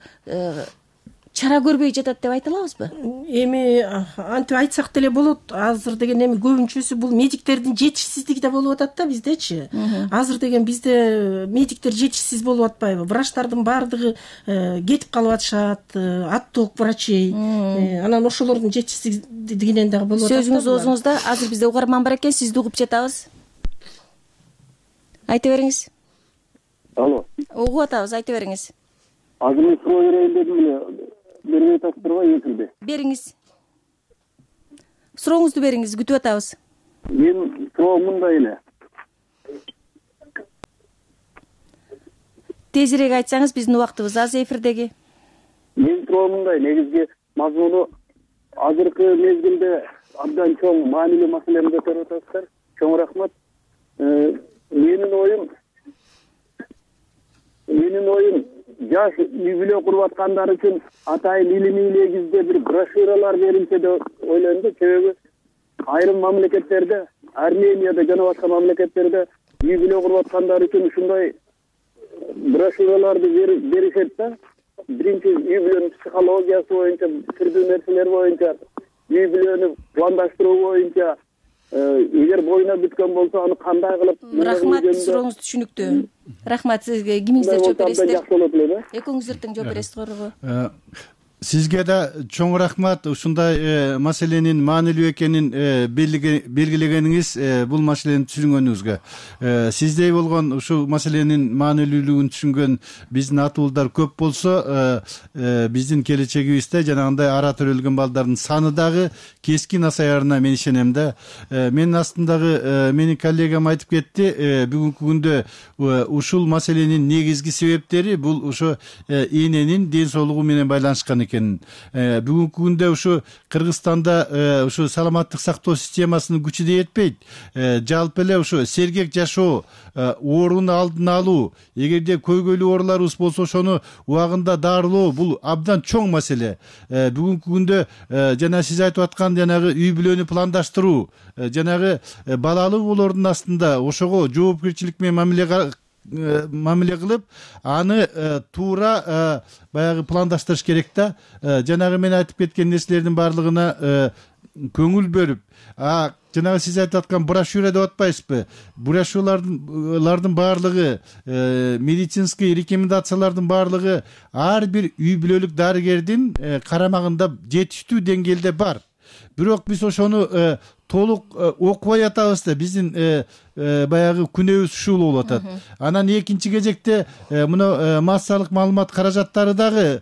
чара көрбөй жатат деп айта алабызбы? Эми антип айтсак деле болот. Азыр деген эми көбүнчөсү бул медиктердин жетишсиздиги да болуп атат да биздечи. Азыр деген бизде медиктер жетишсиз болуп атпайбы? Врачтардын баардыгы кетип калып атышат, отток врачей. Анан ошолордун жетишсиздигинен дагы болуп атат. Сөзүңүз оозуңузда. Азыр бизде угарман бар экен, сизди угуп жатабыз. Айта бериңиз. Алло. Угуп атабыз, айта бериңиз. Азыр мен суроо берейин дедим эле. Бербей атасыздарбы эфирде? Бериңиз. Сурооңузду бериңиз, күтүп атабыз. Мен суроом мындай эле. Тезирээк айтсаңыз, биздин убактыбыз аз эфирдеги. Мен суроом мындай, негизги мазмуну азыркы мезгилде абдан чоң маанилүү маселени көтөрүп атасыздар. Чоң рахмат. Менин оюм Менин оюм жаш үй бүлө куруп аткандар үчүн атайын илимий негизде бир брошюралар берилсе деп ойлойм да. Себеби айрым мамлекеттерде, Арменияда жана башка мамлекеттерде үй бүлө куруп аткандар үчүн ушундай брошюраларды беришет да. Биринчи үй бүлөнүн психологиясы боюнча, түрдүү нерселер боюнча, үй бүлөнү пландаштыруу боюнча, эгер боюна бүткөн болсо аны кандай кылып. Рахмат, сурооңуз түшүнүктүү. Рахмат, сизге кимиңиздер жооп бересиздер? Экөөңүздөр тең жооп бересиз, Сизге да чоң рахмат ушундай маселенин маанилүү экенин белгилегениңиз, бул маселени түшүнгөнүңүзгө. Сиздей болгон ушул маселенин маанилүүлүгүн түшүнгөн биздин ата уулдар көп болсо, биздин келечегибизде жанагындай ара төрөлгөн балдардын саны дагы кескин азаярына мен ишенем да. Менин астымдагы менин коллегам айтып кетти, бүгүнкү күндө ушул маселенин негизги себептери бул ошо эненин ден соолугу менен байланышкан экен. Бүгүнкү күндө ушу Кыргызстанда ушу саламаттык сактоо системасынын күчү да жетпейт. Жалпы эле ушу сергек жашоо, оорунун алдын алуу, эгерде көйгөйлүү ооруларыбыз болсо ошону убагында дарылоо бул абдан чоң маселе. Бүгүнкү күндө жана сиз айтып аткан жанагы үй бүлөнү пландаштыруу, жанагы балалуу болоордун астында ошого жоопкерчилик менен мамиле мамиле кылып, аны туура баягы пландаштырыш керек да. Жанагы мен айтып кеткен нерселердин баардыгына көңүл бөлүп, жанагы сиз айтып аткан брошюра деп атпайсызбы? Брошюралардын баардыгы, медицинский рекомендациялардын баардыгы ар бир үй бүлөлүк дарыгердин карамагында жетиштүү деңгээлде бар. Бирок биз ошону толук окубай атабыз да, биздин баягы күнөөбүз ушул болуп атат. Анан экинчи кезекте мына массалык маалымат каражаттары дагы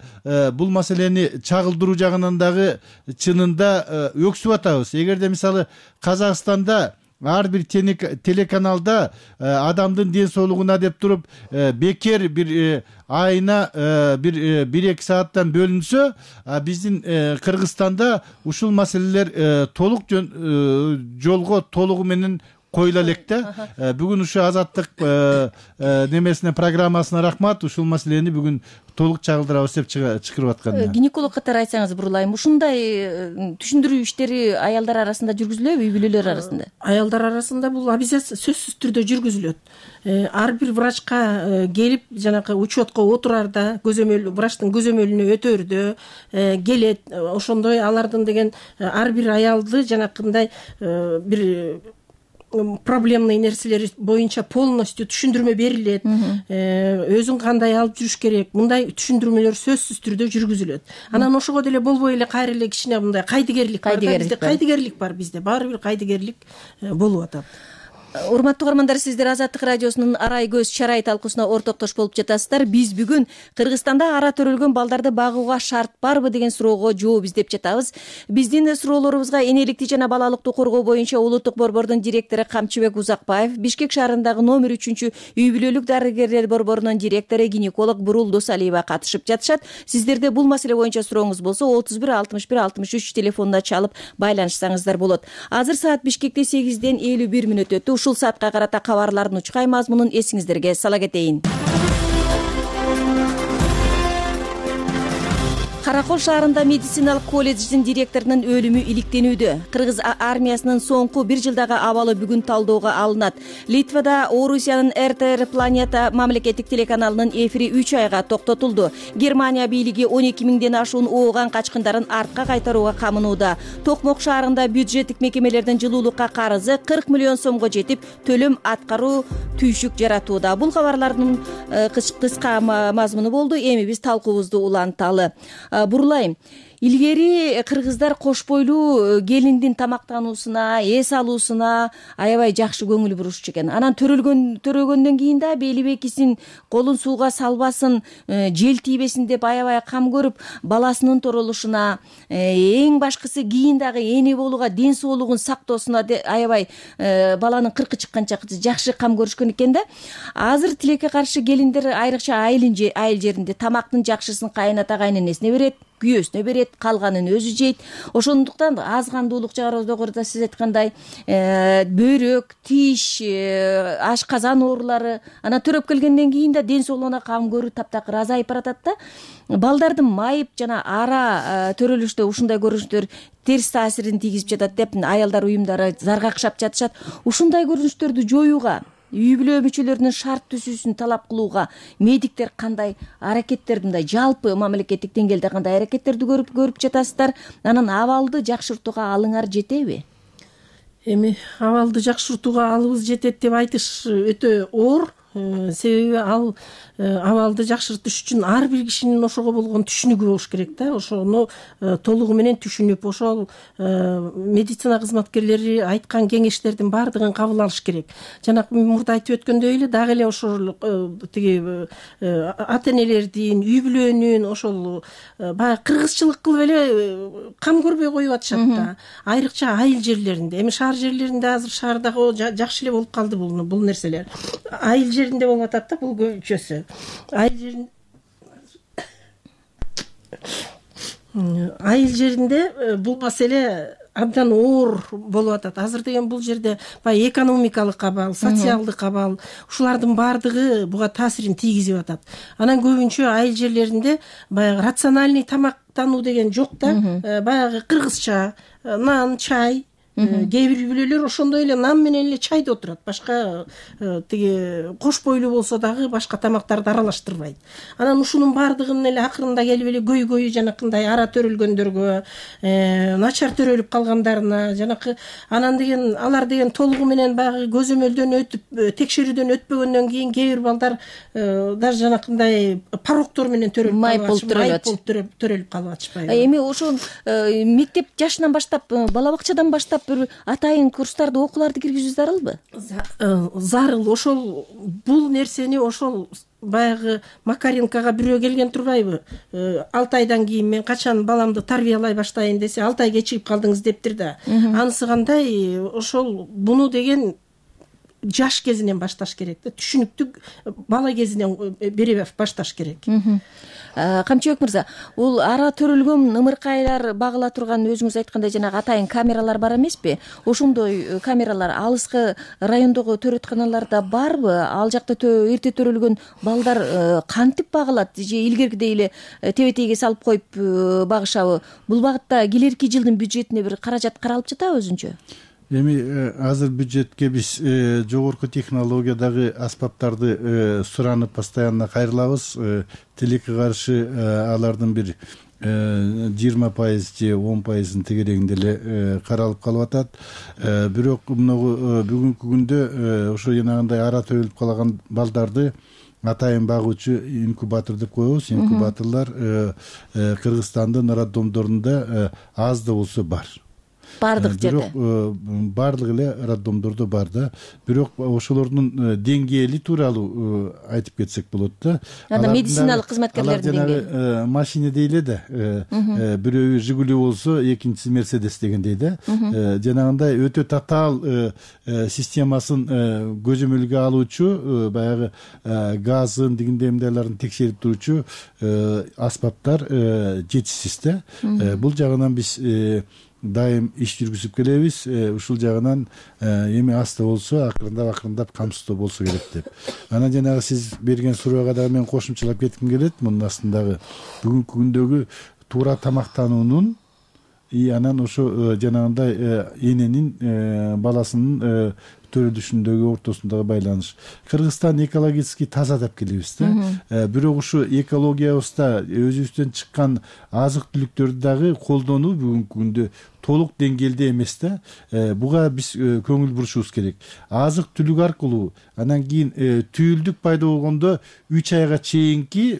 бул маселени чагылдыруу жагынан дагы чынында өксүп атабыз. Эгерде мисалы Казакстанда ар бир телеканалда адамдын ден соолугуна деп туруп бекер бир айына бир бир эки сааттан бөлүнсө, биздин Кыргызстанда ушул маселелер толук жолго толугу менен коюла элек да. Бүгүн ушу азаттык немесине программасына рахмат, ушул маселени бүгүн толук чагылдырабыз деп чыгарып аткан. Гинеколог катары айтсаңыз Бурулайым, ушундай түшүндүрүү иштери аялдар арасында жүргүзүлөбү, үй бүлөлөр арасында? Аялдар арасында бул обязательно сөзсүз түрдө жүргүзүлөт. Ар бир врачка келип, жанагы учетко отурарда, көзөмөл врачтын көзөмөлүнө өтөрдө келет. Ошондой алардын деген ар бир аялды жанакындай бир проблемный нерселери боюнча полностью түшүндүрмө берилет. Өзүн кандай алып жүрүш керек, мындай түшүндүрмөлөр сөзсүз түрдө жүргүзүлөт. Анан ошого деле болбой эле кайра эле кичине мындай кайдыгерлик бар. Бизде кайдыгерлик бар, бизде баары бир кайдыгерлик болуп атат. Урматтуу угармандар, сиздер Азаттык радиосунун Арай көз чарай талкуусуна ортоктош болуп жатасыздар. Биз бүгүн Кыргызстанда ара төрөлгөн балдарды багууга шарт барбы деген суроого жооп издеп жатабыз. Биздин суроолорубузга энеликти жана балалыктуу коргоо боюнча улуттук борбордун директору Камчыбек Узакбаев, Бишкек шаарындагы номер үчүнчү үй бүлөлүк дарыгерлер борборунун директору гинеколог Бурул Досалиева катышып жатышат. Сиздерде бул маселе боюнча сурооңуз болсо отуз бир алтымыш бир алтымыш үч телефонуна чалып байланышсаңыздар болот. Азыр саат Бишкекте сегизден элүү бир мүнөт өттү. Ушул саатка карата кабарлардын учкай мазмунун эсиңиздерге сала кетейин. Каракол шаарында медициналык колледждин директорунун өлүмү иликтенүүдө. Кыргыз армиясынын соңку бир жылдагы абалы бүгүн талоого алынат. Литвада Орусиянын эр тэ эр Планета мамлекеттик телеканалынын эфири үч айга токтотулду. Германия бийлиги он эки миңден ашуун ооган качкындарын артка кайтарууга камынууда. Токмок шаарында бюджеттик мекемелердин жылуулукка карызы кырк миллион сомго жетип, төлөм аткаруу түйшүк жаратууда. Бул кабарлардын кыска мазмуну болду. Эми биз талкуубузду уланталы. Бурулайым, илгери кыргыздар кош бойлуу келиндин тамактануусуна, эс алуусуна аябай жакшы көңүл бурушчу экен. Анан төрөлгөн төрөгөндөн кийин да бели бекисин, колун сууга салбасын, жел тийбесин деп аябай кам көрүп, баласынын торолушуна, эң башкысы кийин дагы эне болууга, ден соолугун сактоосуна аябай баланын кыркы чыкканча жакшы кам көрүшкөн экен да. Азыр тилекке каршы келиндер айрыкча айыл жеринде тамактын жакшысын кайыната кайненесине берет, күйөөсүнө берет, калганын өзү жейт. Ошондуктан аз кандуулук жогоруда сиз айткандай бөйрөк, тиш, ашказан оорулары, ана төрөп келгенден кийин да ден соолугуна кам көрүү таптакыр азайып баратат да. Балдардын майып жана ара төрөлүштө ушундай көрүнүштөр терс таасирин тийгизип жатат деп аялдар уюмдары заргакшап жатышат. Ушундай көрүнүштөрдү жоюуга, үй бүлө мүчөлөрүнүн шарт түзүүсүн талап кылууга медиктер кандай аракеттерди, мындай жалпы мамлекеттик деңгээлде кандай аракеттерди көрүп көрүп жатасыздар? Анан абалды жакшыртууга алыңар жетеби? Эми абалды жакшыртууга алыбыз жетет деп айтыш өтө оор. себеби ал абалды жакшыртыш үчүн ар бир кишинин ошого болгон түшүнүгү болуш керек да. Ошону толугу менен түшүнүп, ошол медицина кызматкерлери айткан кеңештердин баардыгын кабыл алыш керек. Жанагы мурда айтып өткөндөй эле дагы эле ошол тиги ата энелердин, үй бүлөнүн ошол баягы кыргызчылык кылып эле кам көрбөй коюп атышат да. Айрыкча айыл жерлеринде, эми шаар жерлеринде азыр шаардагы жакшы эле болуп калды бул бул нерселер. Айыл жеринде болуп атат да бул көбүнчөсү. Айыл жерин айыл жеринде бул маселе абдан оор болуп атат. Азыр деген бул жерде баягы экономикалык абал, социалдык абал, ушулардын баардыгы буга таасирин тийгизип атат. Анан көбүнчө айыл жерлеринде баягы рациональный тамактануу деген жок да. Баягы кыргызча нан, чай. Кээ бир үй-бүлөлөр ошондой эле нан менен эле чайды отурат. Башка тиги кош бойлуу болсо дагы башка тамактарды аралаштырбайт. Анан ушунун баардыгын эле акырында келип эле көйгөйү жанакындай ара төрөлгөндөргө, начар төрөлүп калгандарына, жанакы анан деген алар деген толугу менен баягы көзөмөлдөн өтүп, текшерүүдөн өтпөгөндөн кийин кээ бир балдар даже жанакындай порогдор менен төрөлүп калып төрөлүп калып атышпайбы. Эми ошол мектеп жашынан баштап, бала бакчадан баштап бир атайын курстарды, окууларды киргизүү зарылбы? Зарыл. Ошол бул нерсени ошол баягы Макаренкага бирөө келген турбайбы? алты айдан кийин мен качан баламды тарбиялай баштайын десе, алты ай кечигип калдыңыз дептир да. Анысы кандай? Ошол буну деген жаш кезинен башташ керек да. Түшүнүктү бала кезинен бере башташ керек. Камчыбек мырза, бул ара төрөлгөн ымыркайлар багыла турган, өзүңүз айткандай жанагы атайын камералар бар эмеспи? Ошондой камералар алыскы райондогу төрөтканаларда барбы? Ал жакта эрте төрөлгөн балдар кантип багылат? Же илгеркидей эле тебетейге салып коюп багышабы? Бул багытта келерки жылдын бюджетине бир каражат каралып жатабы өзүнчө? Эми азыр бюджетке биз жогорку технологиядагы аспаптарды суранып постоянно кайрылабыз. Тилекке каршы алардын бир жыйырма пайыз же он пайызын тегерегинде эле каралып калып атат. Бирок мынагу бүгүнкү күндө ошо жанагындай ара төрөлүп калган балдарды атайын багуучу инкубатор деп коебуз. Инкубаторлар Кыргызстандын роддомдорунда аз да болсо бар. Бардык жерде. Бирок бардык эле роддомдордо бар да. Бирок ошолордун деңгээли тууралуу айтып кетсек болот да. Анда медициналык кызматкерлердин деңгээли. Машина дейле да. Бирөө Жигули болсо, экинчиси Мерседес дегендей да. Жанагындай өтө татаал системасын көзөмөлгө алуучу, баягы газын, дигиндей мындайларын текшерип туруучу аспаптар жетишсиз да. Бул жагынан биз дайым иш жүргүзүп келебиз. Ушул жагынан эми аста болсо акырындап акырындап камсыздоо болсо керек деп. Анан жанагы сиз берген суроого дагы мен кошумчалап кетким келет. Мунун астындагы бүгүнкү күндөгү туура тамактануунун и анан ошо жанагындай эненин баласынын төрөлүшүндөгү ортосундагы байланыш. Кыргызстан экологически таза деп келебиз да. Бирок ушу экологиябызда өзүбүздөн чыккан азык түлүктөрдү дагы колдонуу бүгүнкү күндө толук деңгээлде эмес да. Буга биз көңүл бурушубуз керек. Азык түлүк аркылуу анан кийин түйүлдүк пайда болгондо үч айга чейинки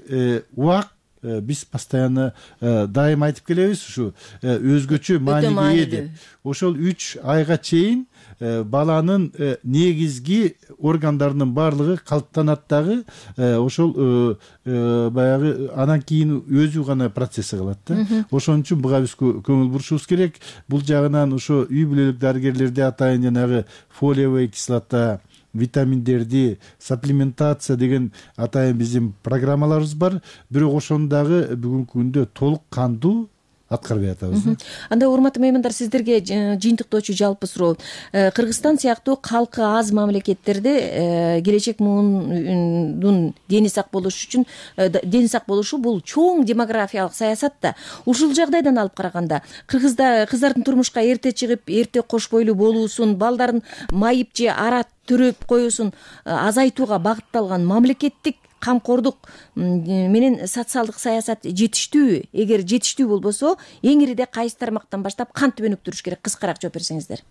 убак биз постоянно дайым айтып келебиз, ушу өзгөчө мааниге ээ деп. Ошол үч айга чейин баланын негизги органдарынын баардыгы калыптанат дагы, ошол баягы анан кийин өзү гана процесси кылат да. Ошон үчүн буга биз көңүл бурушубуз керек. Бул жагынан ошо үй бүлөлүк дарыгерлерде атайын жанагы фолиевая кислота, витаминдерди, саплементация деген атайын биздин программаларыбыз бар. Бирок ошону дагы бүгүнкү күндө толук кандуу аткарбай атабыз. Анда урматтуу меймандар, сиздерге жыйынтыктоочу жалпы суроо. Кыргызстан сыяктуу калкы аз мамлекеттерде келечек муундун дени сак болушу үчүн дени сак болушу бул чоң демографиялык саясат да. Ушул жагдайдан алып караганда кыргызда кыздардын турмушка эрте чыгып, эрте кош бойлуу болуусун, балдарын майып же ара төрөп коюусун азайтууга багытталган мамлекеттик камкордук менен социалдык саясат жетиштүүбү? Эгер жетиштүү болбосо, эң ириде кайсы тармактан баштап кантип өнүктүрүш керек? Кыскараак жооп берсеңиздер.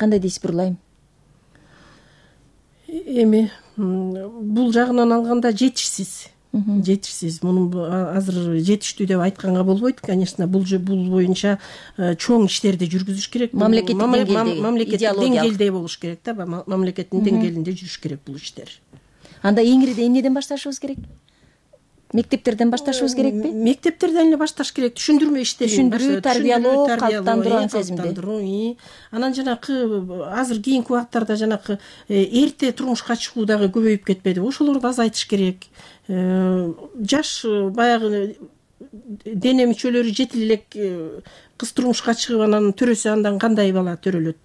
Кандай дейсиз, Бурлайым? Эми бул жагынан алганда жетишсиз жетишсиз муну азыр жетиштүү деп айтканга болбойт. Конечно, бул бул боюнча чоң иштерди жүргүзүш керек. Мамлекеттик деңгээлде болуш керек да, мамлекеттин деңгээлинде жүрүш керек бул иштер. Анда эң ирide эмнеден башташыбыз керек? Мектептерден башташыбыз керекпи? Мектептерден эле башташ керек. Түшүндүрмө иштерин, түшүндүрүү, тарбиялоо, калыптандыруу сезимди. Анан жанакы азыр кийинки убакыттарда жанакы эрте турмушка чыгуу дагы көбөйүп кетпеди. Ошолорду азайтыш керек. Жаш баягы дене мүчөлөрү жетил элек кыз турмушка чыгып анан төрөсө андан кандай бала төрөлөт.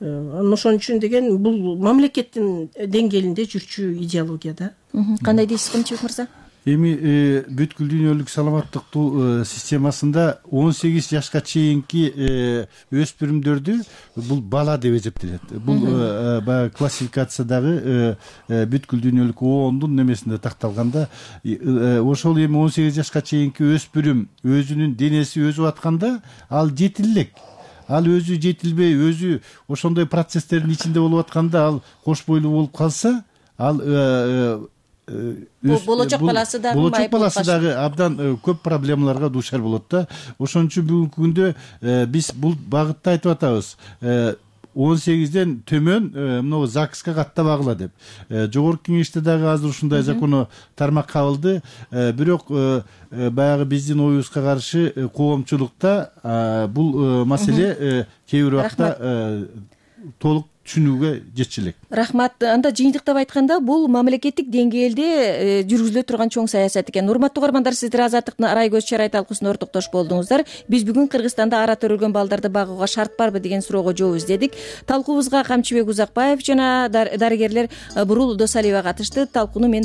Ошон үчүн деген бул мамлекеттин деңгээлинде жүрчү идеология да. Кандай дейсиз Кымчыбек мырза? Эми бүткүл дүйнөлүк саламаттыктуу системасында он сегиз жашка чейинки өспүрүмдөрдү бул бала деп эсептелет. Бул баягы классификациядагы бүткүл дүйнөлүк оондун немесинде такталганда, ошол эми он сегиз жашка чейинки өспүрүм өзүнүн денеси өзүп атканда ал жетил элек. Ал өзү жетилбей, өзү ошондой процесстердин ичинде болуп атканда ал кош бойлуу болуп калса, ал болочок баласы дагы болочок баласы дагы абдан көп проблемаларга дуушар болот да. Ошон үчүн бүгүнкү күндө биз бул багытта айтып атабыз. он сегизден төмөн мына ЗАГСка каттабагыла деп. Жогорку Кеңеште дагы азыр ушундай закон тармак кабылды. Бирок баягы биздин оюбузга каршы коомчулукта бул маселе кээ бир убакта толук түшүнүүгө жетчү элек. Рахмат. Анда жыйынтыктап айтканда бул мамлекеттик деңгээлде жүргүзүлө турган чоң саясат экен. Урматтуу угармандар, сиздер Азаттыктын арай көз чарай талкуусуна ортоктош болдуңуздар. Биз бүгүн Кыргызстанда ара төрөлгөн балдарды багууга шарт барбы деген суроого жооп издедик. Талкуубузга Камчыбек Узакбаев жана дарыгерлер Бурул Досалиева катышты. Талкууну мен